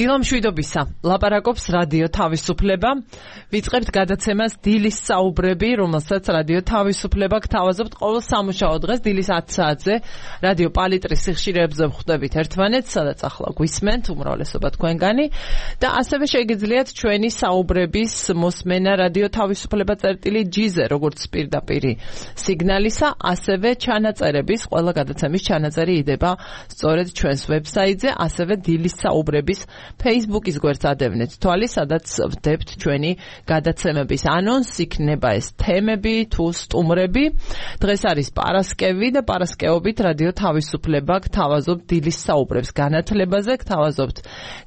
დილამშვიდობისა, ლაპარაკობს რადიო თავისუფლება. ვიწყებთ გადაცემას დილის საუბრები, რომელსაც რადიო თავისუფლება გთავაზობთ ყოველ სამუშაო დღეს დილის 10 საათზე. რადიო პალიტრის სიხშირეებზე ვხვდებით ერთმანეთს, სადაც ახლა გვისმენთ უმრავლესობა თქვენგანი და ასევე შეგიძლიათ ჩვენი საუბრების მოსმენა რადიო თავისუფლება წერტილი.gz-ზე, როგორც პირდაპირი სიგნალისა, ასევე ჩანაწერების, ყველა გადაცემის ჩანაწერი იდება სწორედ ჩვენს ვებსაიტზე, ასევე დილის საუბრების Facebook-ის გვერდს ადევნეთ თვალი, სადაც ვდებთ ჩვენი გადაცემების ანონსს, იქნება ეს თემები თუ სტუმრები. დღეს არის პარასკევი და პარასკევობით რადიო თავისუფლება გთავაზობთ დილის საუბრებს განათლებაზე, გთავაზობთ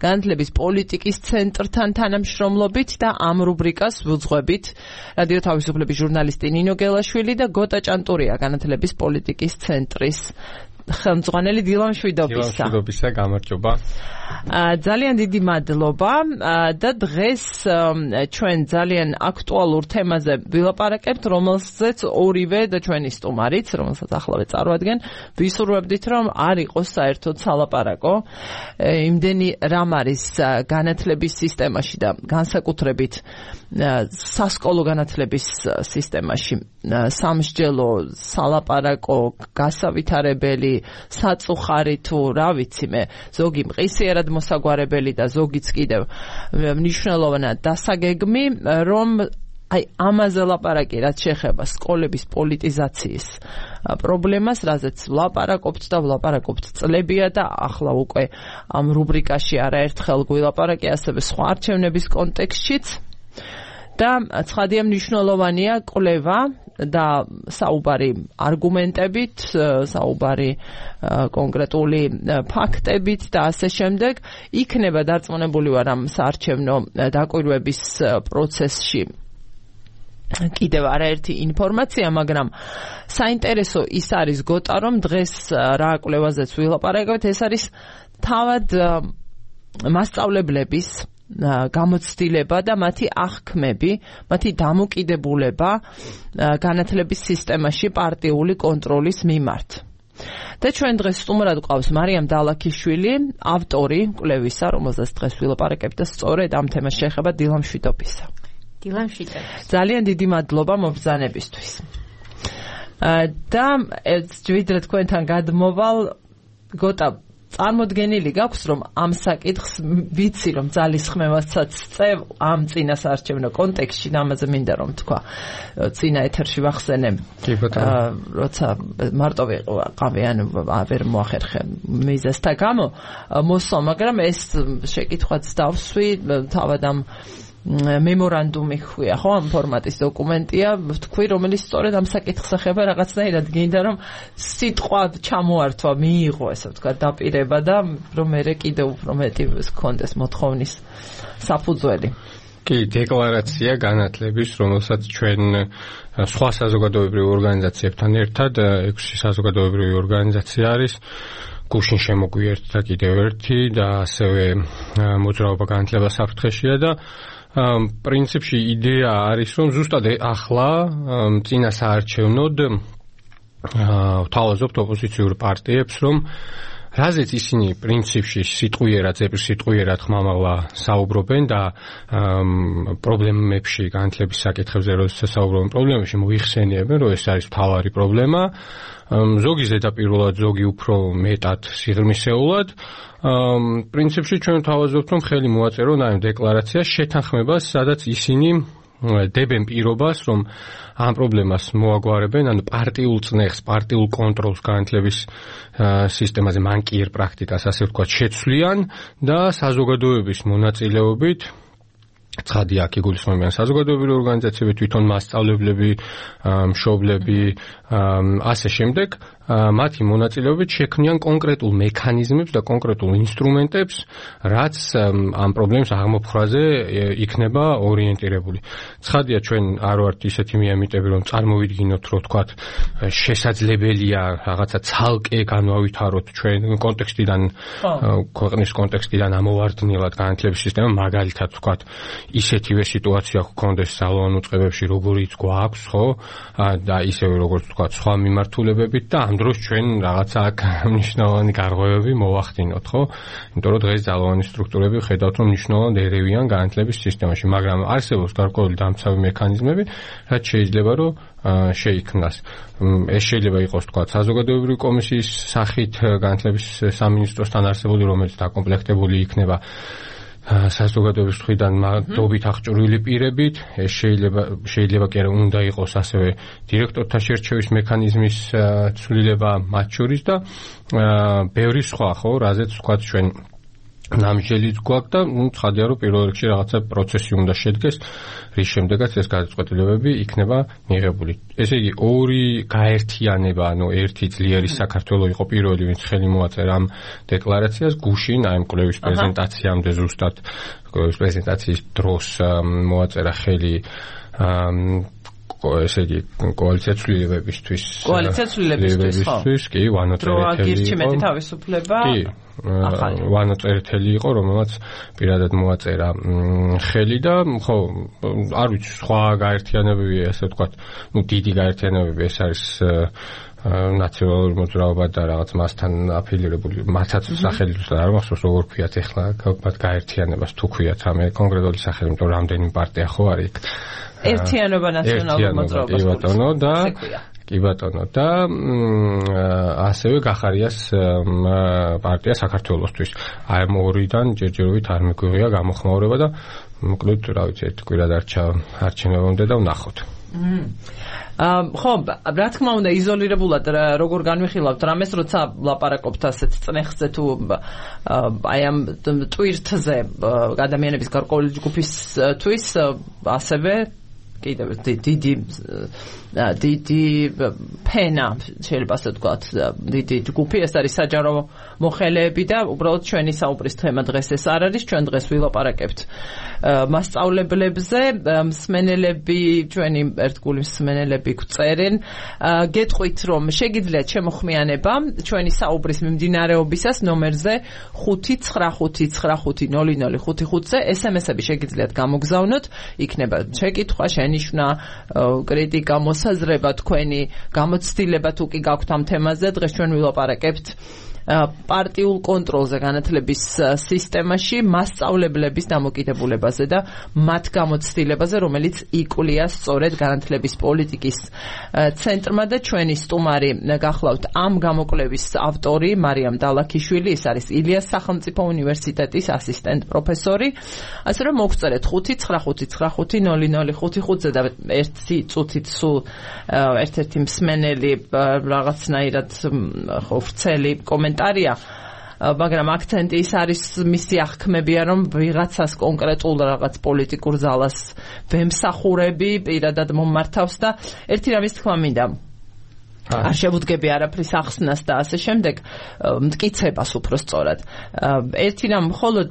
განათლების პოლიტიკის ცენტრთან თანამშრომლობით და ამ რუბრიკას ვუძღვებით რადიო თავისუფლების ჟურნალისტი ნინო გელაშვილი და გოტა ჭანტურია განათლების პოლიტიკის ცენტრის ხელმძღვანელი. დილამშვიდობისა, გამარჯობა. ძალიან დიდი მადლობა და დღეს ჩვენ ძალიან აქტუალურ თემაზე ვილაპარაკებთ, რომელზეც ორივე და ჩვენი სტუმარიც, რომელსაც ახლავე წარვადგენ, ვისურვებდით, რომ არ იყოს საერთოდ სალაპარაკო. იმდენი რამ არის განათლების სისტემაში და განსაკუთრებით სასკოლო განათლების სისტემაში სამსჯელო, სალაპარაკო, გასავითარებელი, საწუხარი თუ რა ვიცი მე, ზოგი მყისიერად მოსაგვარებელი და ზოგიც კიდევ მნიშვნელოვნად დასაგეგმი, რომ აი ამაზე ლაპარაკი, რაც შეეხება სკოლების პოლიტიზაციის პრობლემას, რაზეც ვლაპარაკობთ და ვლაპარაკობთ წლებია და ახლა უკვე ამ რუბრიკაში არაერთხელ გვილაპარაკე, ასევე სხვა არჩევნების კონტექსტშიც. და ცხადია მნიშვნელოვანია კვლევა და საუბარი არგუმენტებით, საუბარი კონკრეტული ფაქტებით და ასე შემდეგ. იქნება დარწმუნებული ვარ ამ საარჩევნო დაკვირვების პროცესში კიდევ არაერთი ინფორმაცია, მაგრამ საინტერესო ის არის გოტა, რომ დღეს რა კვლევაზეც ვილაპარაკებთ, ეს არის თავად მასწავლებლების გამოცდილება და მათი აღქმები, მათი დამოკიდებულება განათლების სისტემაში პარტიული კონტროლის მიმართ. და ჩვენ დღეს სტუმრად გვყავს მარიამ დალაქიშვილი, ავტორი კვლევისა, რომელზეც დღეს ვილაპარაკებთ და სწორედ ამ თემას შეეხება. დილამშვიდობისა. დილამშვიდობისა. ძალიან დიდი მადლობა მობრძანებისთვის. და ვიდრე თქვენთან გადმოვალ, გოტა, წარმოდგენილი გაქვს, რომ ამ საკითხს ვიცი, რომ ძალისხმევასაც წევ ამ წინასაარჩევნო კონტექსტში, ამაზე მინდა რომ თქვა წინა ეთერში ვახსენე, როცა მარტო ვიყავი, ან ვერ მოახერხე მიზეზთა გამო მოსვა, მაგრამ ეს შეკითხვაც დავსვი თავად ამ მემორანდუმი ხويا, ხო, ამ ფორმატის დოკუმენტია, თქვი, რომელიც სწორედ ამ საკითხს ეხება, რაღაცნაირად გინდა რომ სიტყვა ჩამოართვა, მიიღო, ესე ვთქვა, დაპირება და რომ მე კიდევ უფრო მეტი გქონდეს მოთხოვნის საფუძველი. კი, დეკლარაცია განათლების, რომელსაც ჩვენ სხვა საზოგადოებრივ ორგანიზაციებთან ერთად 6 საზოგადოებრივი ორგანიზაცია არის. გუშინ შემოგვიერთდა კიდევ ერთი და ასევე მოძრაობა განათლება საფრთხეშია და პრინციპში იდეა არის, რომ ზუსტად ახლა წინასაარჩევნოდ ვთავაზობთ ოპოზიციურ პარტიებს, რომ რაზეც ისინი პრინციპში სიტყვიერად ხმამაღლა საუბრობენ და პრობლემებში, განათლების საკითხებზე როდესაც საუბრობენ პრობლემებში, მოიხსენიებენ, რომ ეს არის მთავარი პრობლემა. ზოგი ზედაპირულად, ზოგი უფრო მეტად სიღრმისეულად. პრინციპში ჩვენ ვთავაზობთ, რომ ხელი მოაწერონ ამ დეკლარაციას შეთანხმებას, სადაც ისინი დებენ პირობას, რომ ამ პრობლემას მოაგვარებენ, ანუ პარტიულ წნეხს, პარტიულ კონტროლს განათლების სისტემაზე, მანკიერ პრაქტიკას, ასე ვთქვათ, შეცვლიან და საზოგადოების მონაწილეობით, ცხადია, აქ იგულისხმებიან საზოგადოებრივი ორგანიზაციები, თვითონ მასწავლებლები, მშობლები, ასე შემდეგ, მათი მონაწილეობით შექმნიან კონკრეტულ მექანიზმებს და კონკრეტულ ინსტრუმენტებს, რაც ამ პრობლემის აღმოფხვრაზე იქნება ორიენტირებული. ცხადია, ჩვენ არ ვართ ისეთი მიამიტები, რომ წარმოვიდგინოთ, რომ თქვათ, შესაძლებელია რაღაცა ცალკე განვავითაროთ ჩვენ კონტექსტიდან, ქვეყნის კონტექსტიდან ამოვარდნილად განათლების სისტემა, მაგალითად თქვათ, ისეთივე სიტუაცია გქონდეს სალოონ უწყებებში, როგორიც გვაქვს, ხო? და ისევე როგორც თქვათ, სხვა მიმართულებებით და ამ ამ დროს ჩვენ რაღაცა აქ მნიშვნელოვანი გარღვევები მოვახდინოთ, ხო? იმიტომ რომ დღეს ძალოვანი სტრუქტურები ხედავთ, რომ მნიშვნელოვნად ერევიან განათლების სისტემაში, მაგრამ არსებობს გარკვეული დამცავი მექანიზმები, რაც შეიძლება რომ შეიქმნას. ეს შეიძლება იყოს თქვა საზოგადოებრივი კომისიის სახით განათლების სამინისტროსთან არსებული, რომელიც დაკომპლექტებული იქნება საზოგადოების მხრიდან მადობით აღჭურვილი პირებით. ეს შეიძლება კი არა უნდა იყოს ასევე დირექტორთა შერჩევის მექანიზმის ცვლილება მათ შორის და ბევრი სხვა, ხო, რაზეც ვთქვათ ჩვენ ნამჟელიც გვაქვს და ცხადია რომ პირველ რიგში რაღაცა პროცესი უნდა შედგეს, რის შემდეგაც ეს გადაწყვეტილებები იქნება მიღებული. ესე იგი ორი გაერთიანება, ანუ ერთი ძლიერი საქართველო იყო პირველი, ვინც ხელი მოაწერა ამ დეკლარაციას, გუშინ აი ამ კვლევის პრეზენტაციამდე ზუსტად კვლევის პრეზენტაციის დროს მოაწერა ხელი ესე იგი კოალიცია ცვლილებებისთვის კი ვანო წერეთელი თავისუფლება ვანო წერეთელი იყო, რომელმაც პირადად მოაწერა ხელი და ხო არ ვიცი სხვა გაერთიანებები, ასე ვთქვათ, დიდი გაერთიანებები, ეს არის ნაციონალური მოძრაობა და რაღაც მასთან აფილირებული, მათაც სახელით არ მახსოვს როგორ ქვიათ ახლა მათ გაერთიანებას თუ ქვიათ რამე კონკრეტული სახელი, იმიტომ რომ რამდენი პარტია ხო არის იქ. ერთიანობა ნაციონალურ მოძრაობას კი ბატონო და ასევე გახარიას პარტია საქართველოსთვის. აი ამ ორიდან ჯერჯერობით არ მიგვიღია გამოხმაურება და მოკლედ რა ვიცი ერთ კვირა დარჩა არჩევნებამდე და ვნახოთ. ხო, რა თქმა უნდა იზოლირებულად როგორ განვიხილავთ რამეს, როცა ლაპარაკობთ ასეთ წნეხზე თუ აი ამ ტვირთზე ადამიანების გარკვეული ჯგუფისთვის, ასევე კიდევ დიდი ფენა შეიძლება ასე ვთქვათ, დიდი ჯგუფი, ეს არის საჯარო მოხელეები და უბრალოდ ჩვენი საუბრის თემა დღეს ეს არ არის, ჩვენ დღეს ვილაპარაკებთ მასწავლებლებზე, მსმენელები, ჩვენი ერთგული მსმენელები გვწერენ, გეტყვით რომ შეგიძლიათ შემოხმიანება ჩვენი საუბრის მიმდინარეობისას ნომერზე 595590555-ზე SMS-ები შეგიძლიათ გამოგზავნოთ, იქნება შეკითხვა, შენიშვნა, კრიტიკა, მოსაზრება, თქვენი გამოცდილება თუ კი გაქვთ ამ თემაზე, დღეს ჩვენ ვილაპარაკებთ პარტიულ კონტროლზე განათლების სისტემაში, მასწავლებლების დამოკიდებულებაზე და მათ გამოცდილებაზე, რომელიც იკვლია სწორედ განათლების პოლიტიკის ცენტრმა და ჩვენი სტუმარი გახლავთ ამ გამოკვლევის ავტორი მარიამ დალაქიშვილი, ის არის ილიას სახელმწიფო უნივერსიტეტის ასისტენტ პროფესორი. ასე რომ მოგწერეთ 595590555-ზე და ერთი წუთით სულ ერთ-ერთი მსმენელი რაღაცნაირად ხო ვრცელი კომენტარია, მაგრამ აქცენტი ის არის, მისი აღქმებია, რომ ვიღაცას კონკრეტულ რაღაც პოლიტიკურ ზალას ვემსახურები, პირადად მომართავს და ერთი რამის თქმა მინდა, არ შევუდგები არაფრის ახსნას და ასე შემდეგ, მტკიცებას უფრო სწორად. ერთი რამ მხოლოდ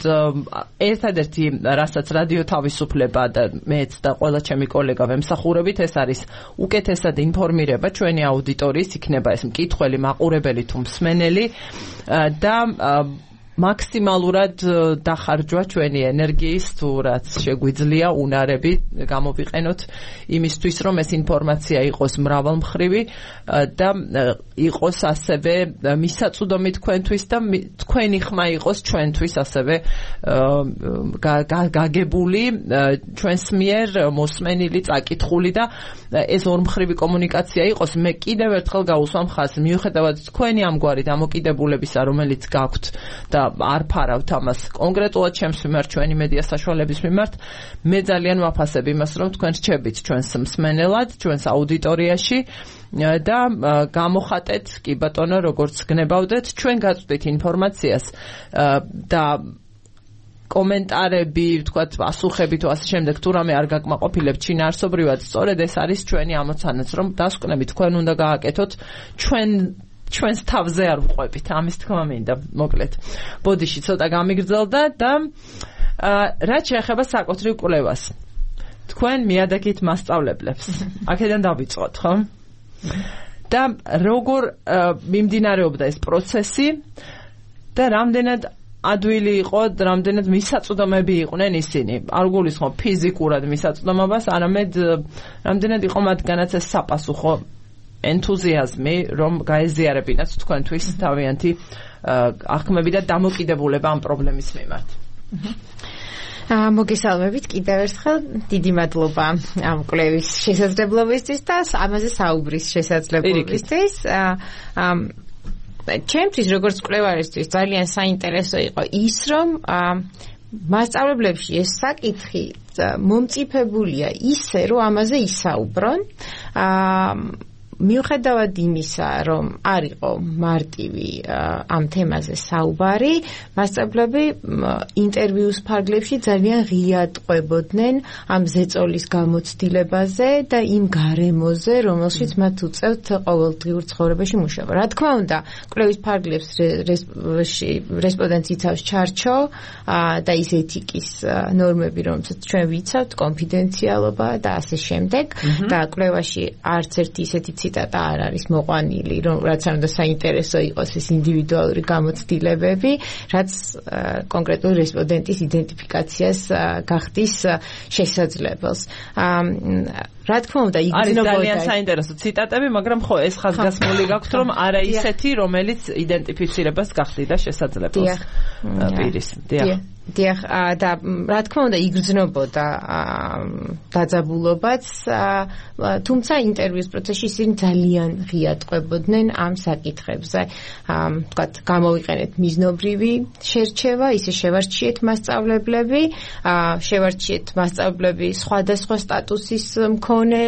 ერთადერთი, რასაც რადიო თავისუფლება და მეც და ყველა ჩემი კოლეგა ვემსახურებით, ეს არის უკეთესად ინფორმირება ჩვენი აუდიტორიის, იქნება ეს მკითხველი, მაყურებელი თუ მსმენელი და მაქსიმალურად დახარჯვა ჩვენი ენერგიის, თუ რაც შეგვიძლია უნარები გამოვიყენოთ იმისთვის, რომ ეს ინფორმაცია იყოს მრავალმხრივი და იყოს ასევე მისაწვდომი თქვენთვის და თქვენი ხმა იყოს ჩვენთვის ასევე გაგებული ჩვენს მიერ მოსმენილი, წაკითხული და ეს ორმხრივი კომუნიკაცია იყოს. მე კიდევ ერთხელ გაუსვამ ხაზს, მიუხედავად თქვენი ამგვარი დამოკიდებულებისა, რომელიც გაქვთ და არ ფარავთ ამას კონკრეტულად ჩემს მიმართ, ჩვენი მედია საშუალების მიმართ, მე ძალიან ვაფასებ იმას, რომ თქვენ რჩებით ჩვენს მსმენელად, ჩვენს აუდიტორიაში და გამოხატეთ, კი ბატონო, როგორც გნებავდეთ, ჩვენ გაწვდით ინფორმაციას და კომენტარები, ვთქვათ, პასუხები თუ ასე შემდეგ, თუ რამე არ გაკმაყოფილებთ შინაარსობრივად, სწორედ ეს არის ჩვენი ამოცანაც, რომ დასკვნებით თქვენ უნდა გააკეთოთ ჩვენს თავზე არ ვყვებით, ამის თქმა მინდა, მოკლედ. ბოდიში ცოტა გამიგრძელდა და რაც შეეხება საკუთრივ კვლევას. თქვენ მიადაგით მასწავლებლებს. აქედან დავიწყოთ, ხო? და როგორ მიმდინარეობდა ეს პროცესი და რამდენად ადვილი იყო, რამდენად მისაწვდომები იყვნენ ისინი. არ გულისხმობ ფიზიკურად მისაწვდომობას, არამედ რამდენად იყო მათგანაც ეს საპასუხო ენთუზიაზმი, რომ გაეზიარებინათ თქვენთვის თავიანთი აღქმები და დამოკიდებულება ამ პრობლემის მიმართ. მოგესალმებით კიდევ ერთხელ, დიდი მადლობა ამ კვლევის შესაძლებლობისთვის და ამაზე საუბრის შესაძლებლობისთვის. ჩემთვის როგორც კვლევარისთვის ძალიან საინტერესო იყო ის, რომ მასწავლებლებში ეს საკითხი მომწიფებულია ისე, რომ ამაზე ისაუბრონ. მიუხედავად იმისა, რომ არ იყო მარტივი ამ თემაზე საუბარი, მასწავლებლები ინტერვიუს ფარგლებში ძალიან ღიად ყვებოდნენ ამ ზეწოლის გამოცდილებაზე და იმ გარემოზე, რომელშიც მათ უწევთ ყოველდღიურ ცხოვრებაში მუშაობა. რა თქმა უნდა, კვლევის ფარგლებს რესპონდენტს იცავს ჩარჩო და ის ეთიკის ნორმები, რომელსაც ჩვენ ვიცავთ, კონფიდენციალობა და ასე შემდეგ. და კვლევაში არც ერთი ისეთი ციტატა არ არის მოყვანილი, რაც არ უნდა საინტერესო იყოს ეს ინდივიდუალური გამოცდილებები, რაც კონკრეტული რესპონდენტის იდენტიფიკაციას გახდის შესაძლებელს. რა თქმა უნდა, იგრძნობოდა არის ძალიან საინტერესო ციტატები, მაგრამ ხო ეს ხაზგასმული გაქვთ, რომ არა ისეთი, რომელიც იდენტიფიცირებას გახდიდა შესაძლებელს პირის. დიახ, და რა თქმა უნდა იგრძნობოდა დაძაბულობაც, თუმცა ინტერვიუს პროცესში ისინი ძალიან ღიად ყვებოდნენ ამ საკითხებზე. ვთქვათ, გამოვიყენეთ მიზნობრივი შერჩევა, ისე შევარჩიეთ მასწავლებლები, შევარჩიეთ მასწავლებლები სხვადასხვა სტატუსის მქონე,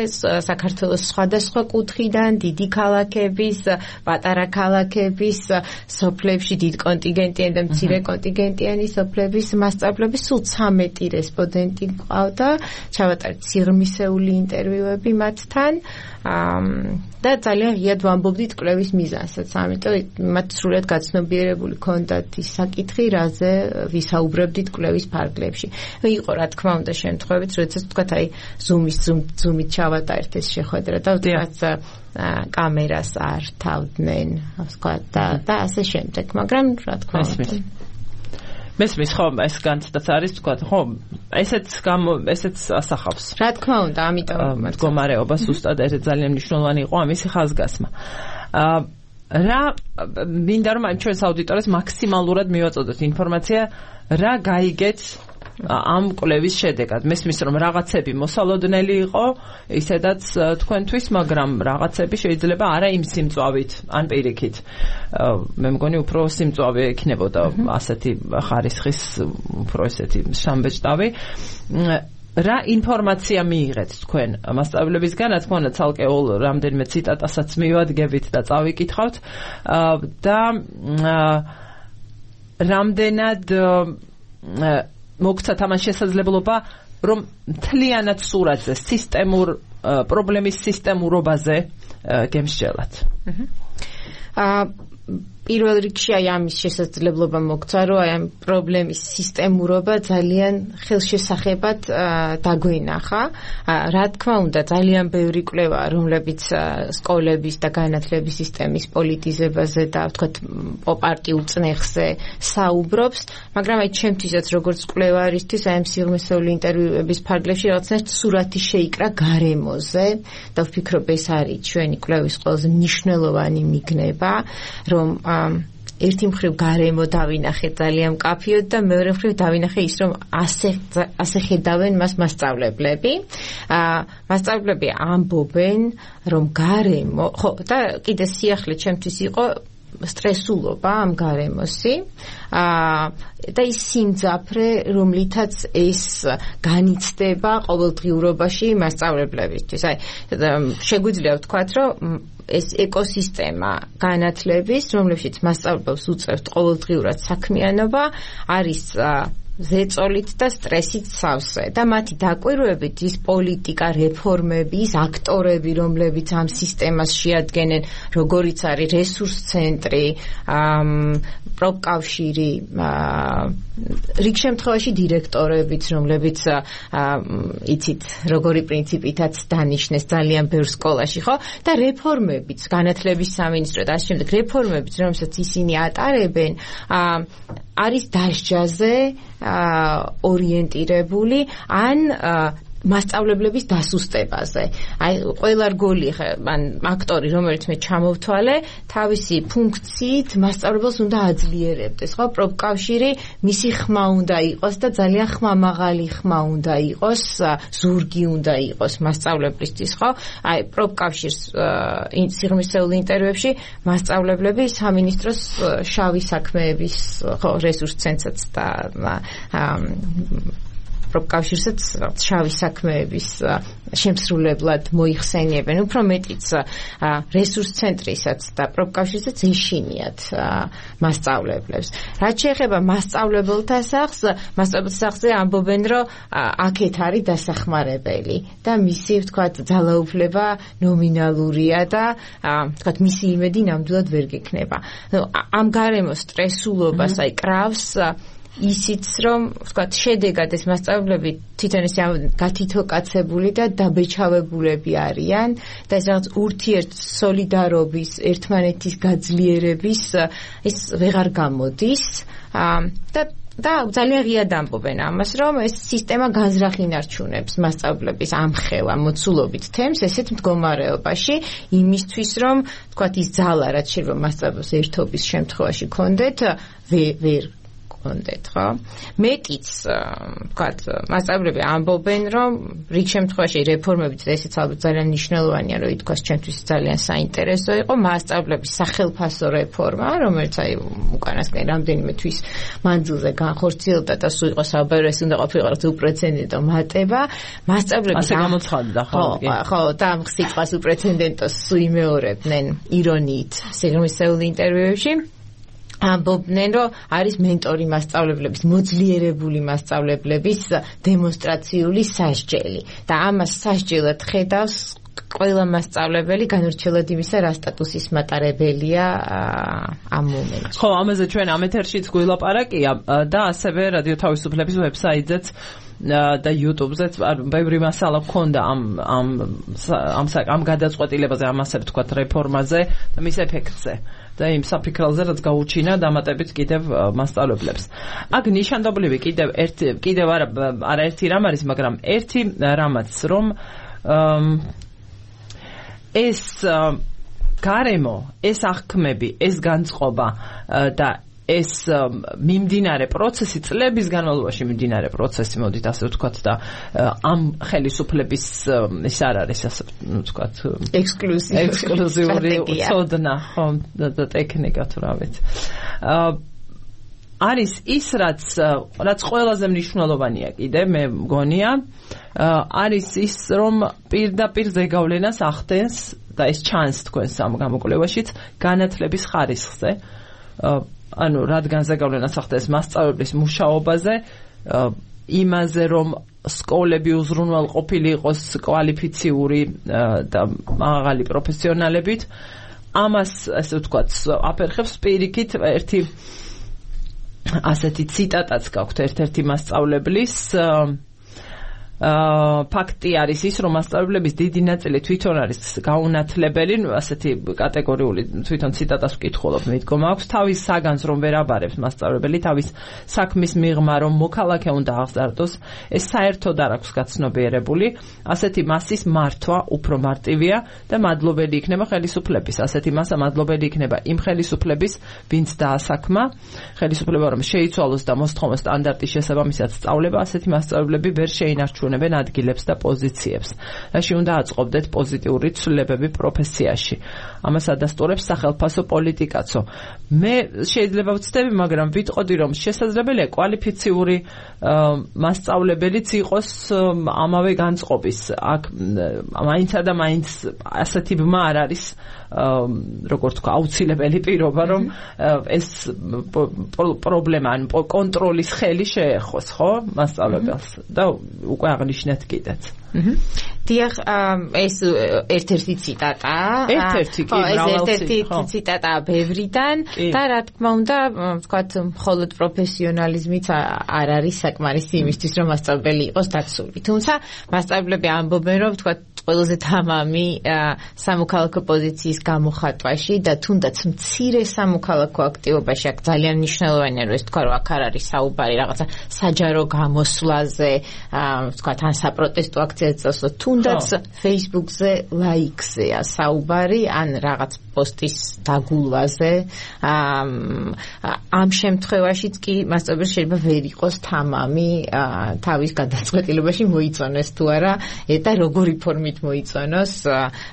საქართველოს სხვადასხვა კუთხიდან, დიდი ქალაქების, პატარა ქალაქების, სოფლებში დიდ კონტინგენტიანი და მცირე კონტინგენტიანი სოფლების მასწავლებლები, სულ 13 რესპონდენტი მყავდა, ჩავატარეთ სიღრმისეული ინტერვიუები მათთან და ძალიან ღიად ვამბობდით კვლევის მიზანსაც, ამიტომ მათ სრულად გაცნობიერებული ჰქონდათ ის საკითხი, რაზე ვისაუბრებდით კვლევის ფარგლებში. იყო რა თქმა უნდა შემთხვევით, როდესაც თქვათ აი ზუმით ჩავატარეთ ეს შეხვედრა და ვთქვათ კამერას არ თავდნენ, ვთქვათ და ასე შემდეგ, მაგრამ რა თქმა უნდა მესმის ხო ეს განცდაც არის თქვა ხო ესეც ასახავს რა თქმა უნდა ამიტომ მდგომარეობა ზუსტად ეს ძალიან მნიშვნელოვანი იყო ამისი ხაზგასმა რა მინდა რომ ამ ჩვენს აუდიტორიას მაქსიმალურად მივაწოდოთ ინფორმაცია რა გაიგეთ ამ კვლევის შედეგად მესმის რომ რაღაცები მოსალოდნელი იყო ისედაც თქვენთვის მაგრამ რაღაცები შეიძლება არა იმ სიმწვავით ან პირიქით მე მგონი უფრო სიმწვავე იქნებოდა ასეთი ხარისხის უფრო ესეთი შამბეჭდავი რა ინფორმაცია მიიღეთ თქვენ მასწავლებლებისგან რა თქმა უნდა ცალკეულ რამდენიმე ციტატასაც მივადგებით და წავიკითხავთ და რამდენად მოგცათ ამან შესაძლებლობა რომ მთლიანად სურათზე სისტემურ პრობლემის სისტემურობაზე გემსჯელათ პირველ რიგში აი ამის შესაძლებლობა მოგცა რომ აი ამ პრობლემის სისტემურობა ძალიან ხელშესახებად დაგვენახა რა თქმა უნდა ძალიან ბევრი კვლევა რომლებიც სკოლების და განათლების სისტემის პოლიტიზებაზე და ვთქვათ პარტიულ წნეხზე საუბრობს მაგრამ აი ჩემთვისაც როგორც კვლევარისთვის აი ამ სიღრმისეული ინტერვიუების ფარგლებში რაღაცნაირად სურათი შეიკრა გარემოზე და ვფიქრობ ეს არის ჩვენი კვლევის ყველაზე მნიშვნელოვანი მიგნება რომ ერთი მხრივ გარემო დავინახეთ ძალიან მკაფიოდ და მეორე მხრივ დავინახე ის რომ ასე ხედავენ მას მასწავლებლები მასწავლებლები ამბობენ რომ გარემო ხო და კიდე სიახლე ჩემთვის იყო სტრესულობა ამ გარემოსი და ის სიმძაფრე რომლითაც ეს განიცდება ყოველდღიურობაში მასწავლებლებისთვის აი შეგვიძლია ვთქვათ რომ ეს ეკოსისტემა განათლების, რომლებშიც მასწავლებლებს უწევთ ყოველდღიურად საქმიანობა, არის ზეწოლით და სტრესით სავსე და მათი დაკვირვებით ის პოლიტიკა, რეფორმები, ის აქტორები, რომლებიც ამ სისტემას შეადგენენ, როგორიც არის რესურს ცენტრი, პროფკავშირი, რიგ შემთხვევაში დირექტორებიც, რომლებიც იცით, როგორი პრინციპითაც დანიშნეს ძალიან ბევრ სკოლაში, ხო? და რეფორმებიც, განათლების სამინისტრო და ასე შემდეგ, რეფორმებიც, რომელსაც ისინი ატარებენ, არის დასჯაზე ორიენტირებული ან მასწავლებლების დასუსტებაზე. აი ყველა რგოლი ან აქტორი, რომელიც მე ჩამოვთვალე, თავისი ფუნქციით მასწავლებელს უნდა აძლიერებდეს, ხო? პროფკავშირი მისი ხმა უნდა იყოს და ძალიან ხმამაღალი ხმა უნდა იყოს, ზურგი უნდა იყოს მასწავლებლისთვის, ხო? აი პროფკავშირს სიღრმისეულ ინტერვიუებში მასწავლებლები სამინისტროს შავი საქმეების, ხო, რესურს ცენტრსაც და პროფკავშირსაც შავი საქმეების შემსრულებლად მოიხსენიებენ, უფრო მეტიც რესურს ცენტრისაც და პროფკავშირსაც ეშინიათ მასწავლებლებს. რაც შეეხება მასწავლებელთა სახლს, მასწავლებელთა სახლზე ამბობენ, რომ აქეთ არის დასახმარებელი და მისი, ვთქვათ, ძალაუფლება ნომინალურია და ვთქვათ, მისი იმედი ნამდვილად ვერ გექნება. ამ გარემოს სტრესულობას აი კრავს ისიც რომ ვთქვათ შედეგად ეს მასწავლებლები თვითონ ისე გათითოკაცებული და დაბეჭავებულები არიან და ეს რაღაც ურთიერთ სოლიდარობის ერთმანეთის გაძლიერების ეს ვეღარ გამოდის და ძალიან ღიად ამბობენ ამას რომ ეს სისტემა განზრახინარჩუნებს მასწავლებლების ამხელა მოცულობით თემს ესეთ მდგომარეობაში იმისთვის რომ ვთქვათ ის ძალა რაც შეიძლება მასწავლებლებს ერთობის შემთხვევაში ქონდეთ ვერ ხო? მეტიც, ვთქვათ, მასწავლებლები ამბობენ, რომ რიგ შემთხვევაში რეფორმებით ესეც ალბათ ძალიან მნიშვნელოვანია, რომ ითქვას ჩემთვის ძალიან საინტერესო იყო მასწავლებლების სახელფასო რეფორმა, რომელიც აი უკანასკნელი რამდენიმე თვის მანძილზე განხორციელდა და სულ იყო საუბარი, ეს უნდა ყოფილიყო უპრეცედენტო მატება. მასწავლებლები ასე გამოცხადდა, ხო, და ამ სიტყვას უპრეცედენტოს სულ იმეორებდნენ ირონიით სიღრმისეულ ინტერვიუებში. ამბობდნენ, რომ არის მენტორი მასწავლებლების, მოძლიერებული მასწავლებლების დემონსტრაციული სასჯელი და ამას სასჯელად ხედავს ყველა მასწავლებელი განურჩევლად იმისა, რა სტატუსის მატარებელია ამ მომენტში. ხო, ამაზე ჩვენ ამ ეთერშიც გვილაპარაკია და ასევე რადიო თავისუფლების ვებსაიტზეც და YouTube-ზეც ბევრი მასალა გქონდა ამ გადაწყვეტილებაზე, ამ ასე ვთქვათ რეფორმაზე და მის ეფექტზე. და იმ საფიქრალზე რაც გაუჩინა დამატებით კიდევ მასწავლებლებს. აქ ნიშანდობლივი კიდევ არაერთი რამ არის, მაგრამ ერთი რამაც რომ ეს გარემო, ეს აღქმები, ეს განწყობა და ეს მიმდინარე პროცესი, წლების განმავლობაში მიმდინარე პროცესი, მოდით ასე ვთქვათ და ამ ხელისუფლების ის არ არის ასე ვთქვათ ექსკლუზიური ცოდნა, ხო, და ტექნიკა თუ რა ვიცი. არის ის რაც ყველაზე მნიშვნელოვანია კიდე მე მგონია, არის ის რომ პირდაპირ ზეგავლენას ახდენს და ეს ჩანს თქვენს ამ გამოკვლევაშიც განათლების ხარისხზე. ანუ რადგან ზეგავლენას ახდენს მასწავლებლის მუშაობაზე, იმაზე რომ სკოლები უზრუნველყოფილი იყოს კვალიფიციური და მაღალი პროფესიონალებით, ამას ასე ვთქვათ აფერხებს პირიქით ერთი ასეთი ციტატაც გაქვთ ერთ-ერთი მასწავლებლის ფაქტი არის ის, რომ მასწავლებლების დიდი ნაწილი თვითონ არის გაუნათლებელი, ასეთი კატეგორიული თვითონ ციტატას ვკითხულობ, მიდგომა აქვს, თავის საგანს რომ ვერ აბარებს მასწავლებელი, თავის საქმის მიღმა რომ მოქალაქე უნდა აღზარდოს, ეს საერთოდ არ აქვს გაცნობიერებული, ასეთი მასის მართვა უფრო მარტივია და მადლობელი იქნება ხელისუფლების, ასეთი მასა მადლობელი იქნება იმ ხელისუფლების, ვინც დაასაქმა, ხელისუფლება რომ შეიცვალოს და მოსთხოვოს სტანდარტის შესაბამისად სწავლება, ასეთი მასწავლებლები ვერ შეინარჩუნებენ ადგილებს და პოზიციებს. რაში უნდა აწყობდეთ პოზიტიური ცვლილებები პროფესიაში. ამას ადასტურებს სახელმწიფო პოლიტიკაცო. მე შეიძლება ვცდები, მაგრამ ვიტყოდი, რომ შესაძლებელია კვალიფიციური მასწავლებელიც იყოს ამავე განწყობის. აქ მაინცა და მაინც ასეთი ბმა არ არის, როგორ თქვა, აუცილებელი პირობა, რომ ეს პრობლემა, ან კონტროლის ხელი შეეხოს, ხო, მასწავლებელს და უკვე აღნიშნეთ კიდეც. დიახ, ეს ერთ-ერთი ციტატაა. ერთ-ერთი კი, ერთ-ერთი ციტატაა ბევრიდან და რა თქმა უნდა, ვთქვათ, მხოლოდ პროფესიონალიზმით არ არის საკმარისი იმისთვის, რომ მასწავლებელი იყოს დაცული. თუმცა მასწავლებლები ამბობენ, რომ ვთქვათ, ყველაზე თამამი სამოქალაქო პოზიციის გამოხატვაში და თუნდაც მცირე სამოქალაქო აქტივობაში აქ ძალიან მნიშვნელოვანია, რომ ეს თქვა, რომ აქ არ არის საუბარი რაღაცა საჯარო გამოსვლაზე, ვთქვათ, ან საპროტესტო აქციაზე წასვლა, თუნდაც Facebook-ზე ლაიქზეა საუბარი, ან რაღაც პოსტის დაგულვაზე. ამ შემთხვევაშიც კი მასწავლებელი შეიძლება ვერ იყოს თამამი თავის გადაწყვეტილებაში მოიწონოს თუ არა და როგორი ფორმით მოიწონოს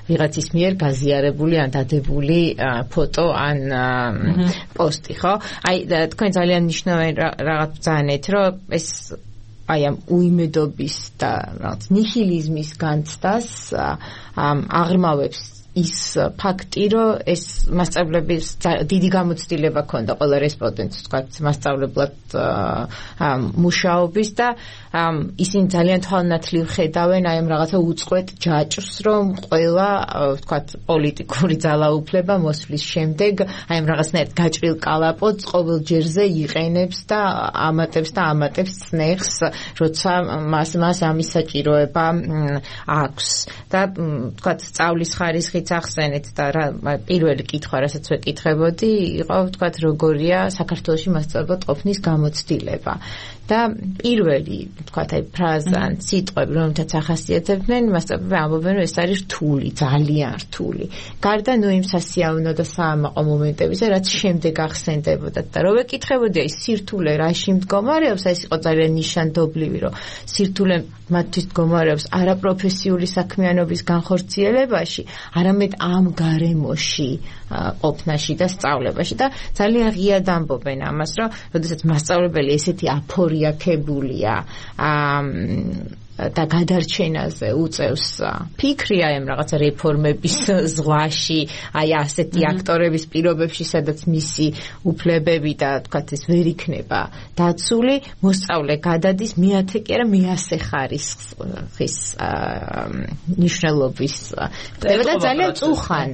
ვიღაცის მიერ გაზიარებული ან დადებული ფოტო ან პოსტი, ხო? აი თქვენ ძალიან მნიშვნელოვანი რაღაც ბრძანეთ, რომ ეს აი ამ უიმედობის და რაღაც ნიჰილიზმის განცდას აღრმავებს ის ფაქტი, რომ ეს მასწავლებლების დიდი გამოცდილება ქონდა ყველა რესპონდენტს, თქვათ, მასწავლებლად მუშაობის და ისინი ძალიან თვალნათლივ ხედავენ აი ამ რაღაცა უწყვეტ ჯაჭვს, რომ ყველა, ვთქვათ, პოლიტიკური ძალაუფლება მოსვლის შემდეგ აი ამ რაღაცნაირად გაჭრილ კალაპოტს ყოველ ჯერზე იყენებს და ამატებს წნეხს, როცა მას ამის საჭიროება აქვს და ვთქვათ, სწავლის ხარისხით ახსენეთ და პირველი კითხვა, რასაც ვეკითხებოდი, იყო ვთქვათ, როგორია საქართველოში მასწავლებლად ყოფნის გამოცდილება. და პირველი, ვთქვათ, აი ფრაზა ან სიტყვები, რომელთაც ახასიათებდნენ, მასწავლებლები ამბობენ, რომ ეს არის რთული, ძალიან რთული. გარდა იმ სასიავნო და საამაყო მომენტებისა, რაც შემდეგ ახსენდებოდა და რო ვეკითხებოდი, აი სირთულე რაში მდგომარეობს, ეს იყო ძალიან ნიშანდობლივი, რომ სირთულე მათთვის მდგომარეობს არაპროფესიული საქმიანობის განხორციელებაში, არამედ ამ გარემოში ყოფნაში და სწავლებაში და ძალიან ღიად ამბობენ ამას, რომ როდესაც მასწავლებელი ესეთი აფორიაქებულია და გადარჩენაზე უწევს ფიქრი აი ამ რაღაცა რეფორმების ზღვაში, აი ასეთი აქტორების პირობებში, სადაც მისი უფლებები და თქვათ ეს ვერ იქნება დაცული, მოსწავლე გადადის მეათე კი არა მეასე ხარისხის მნიშვნელობის და ძალიან წუხან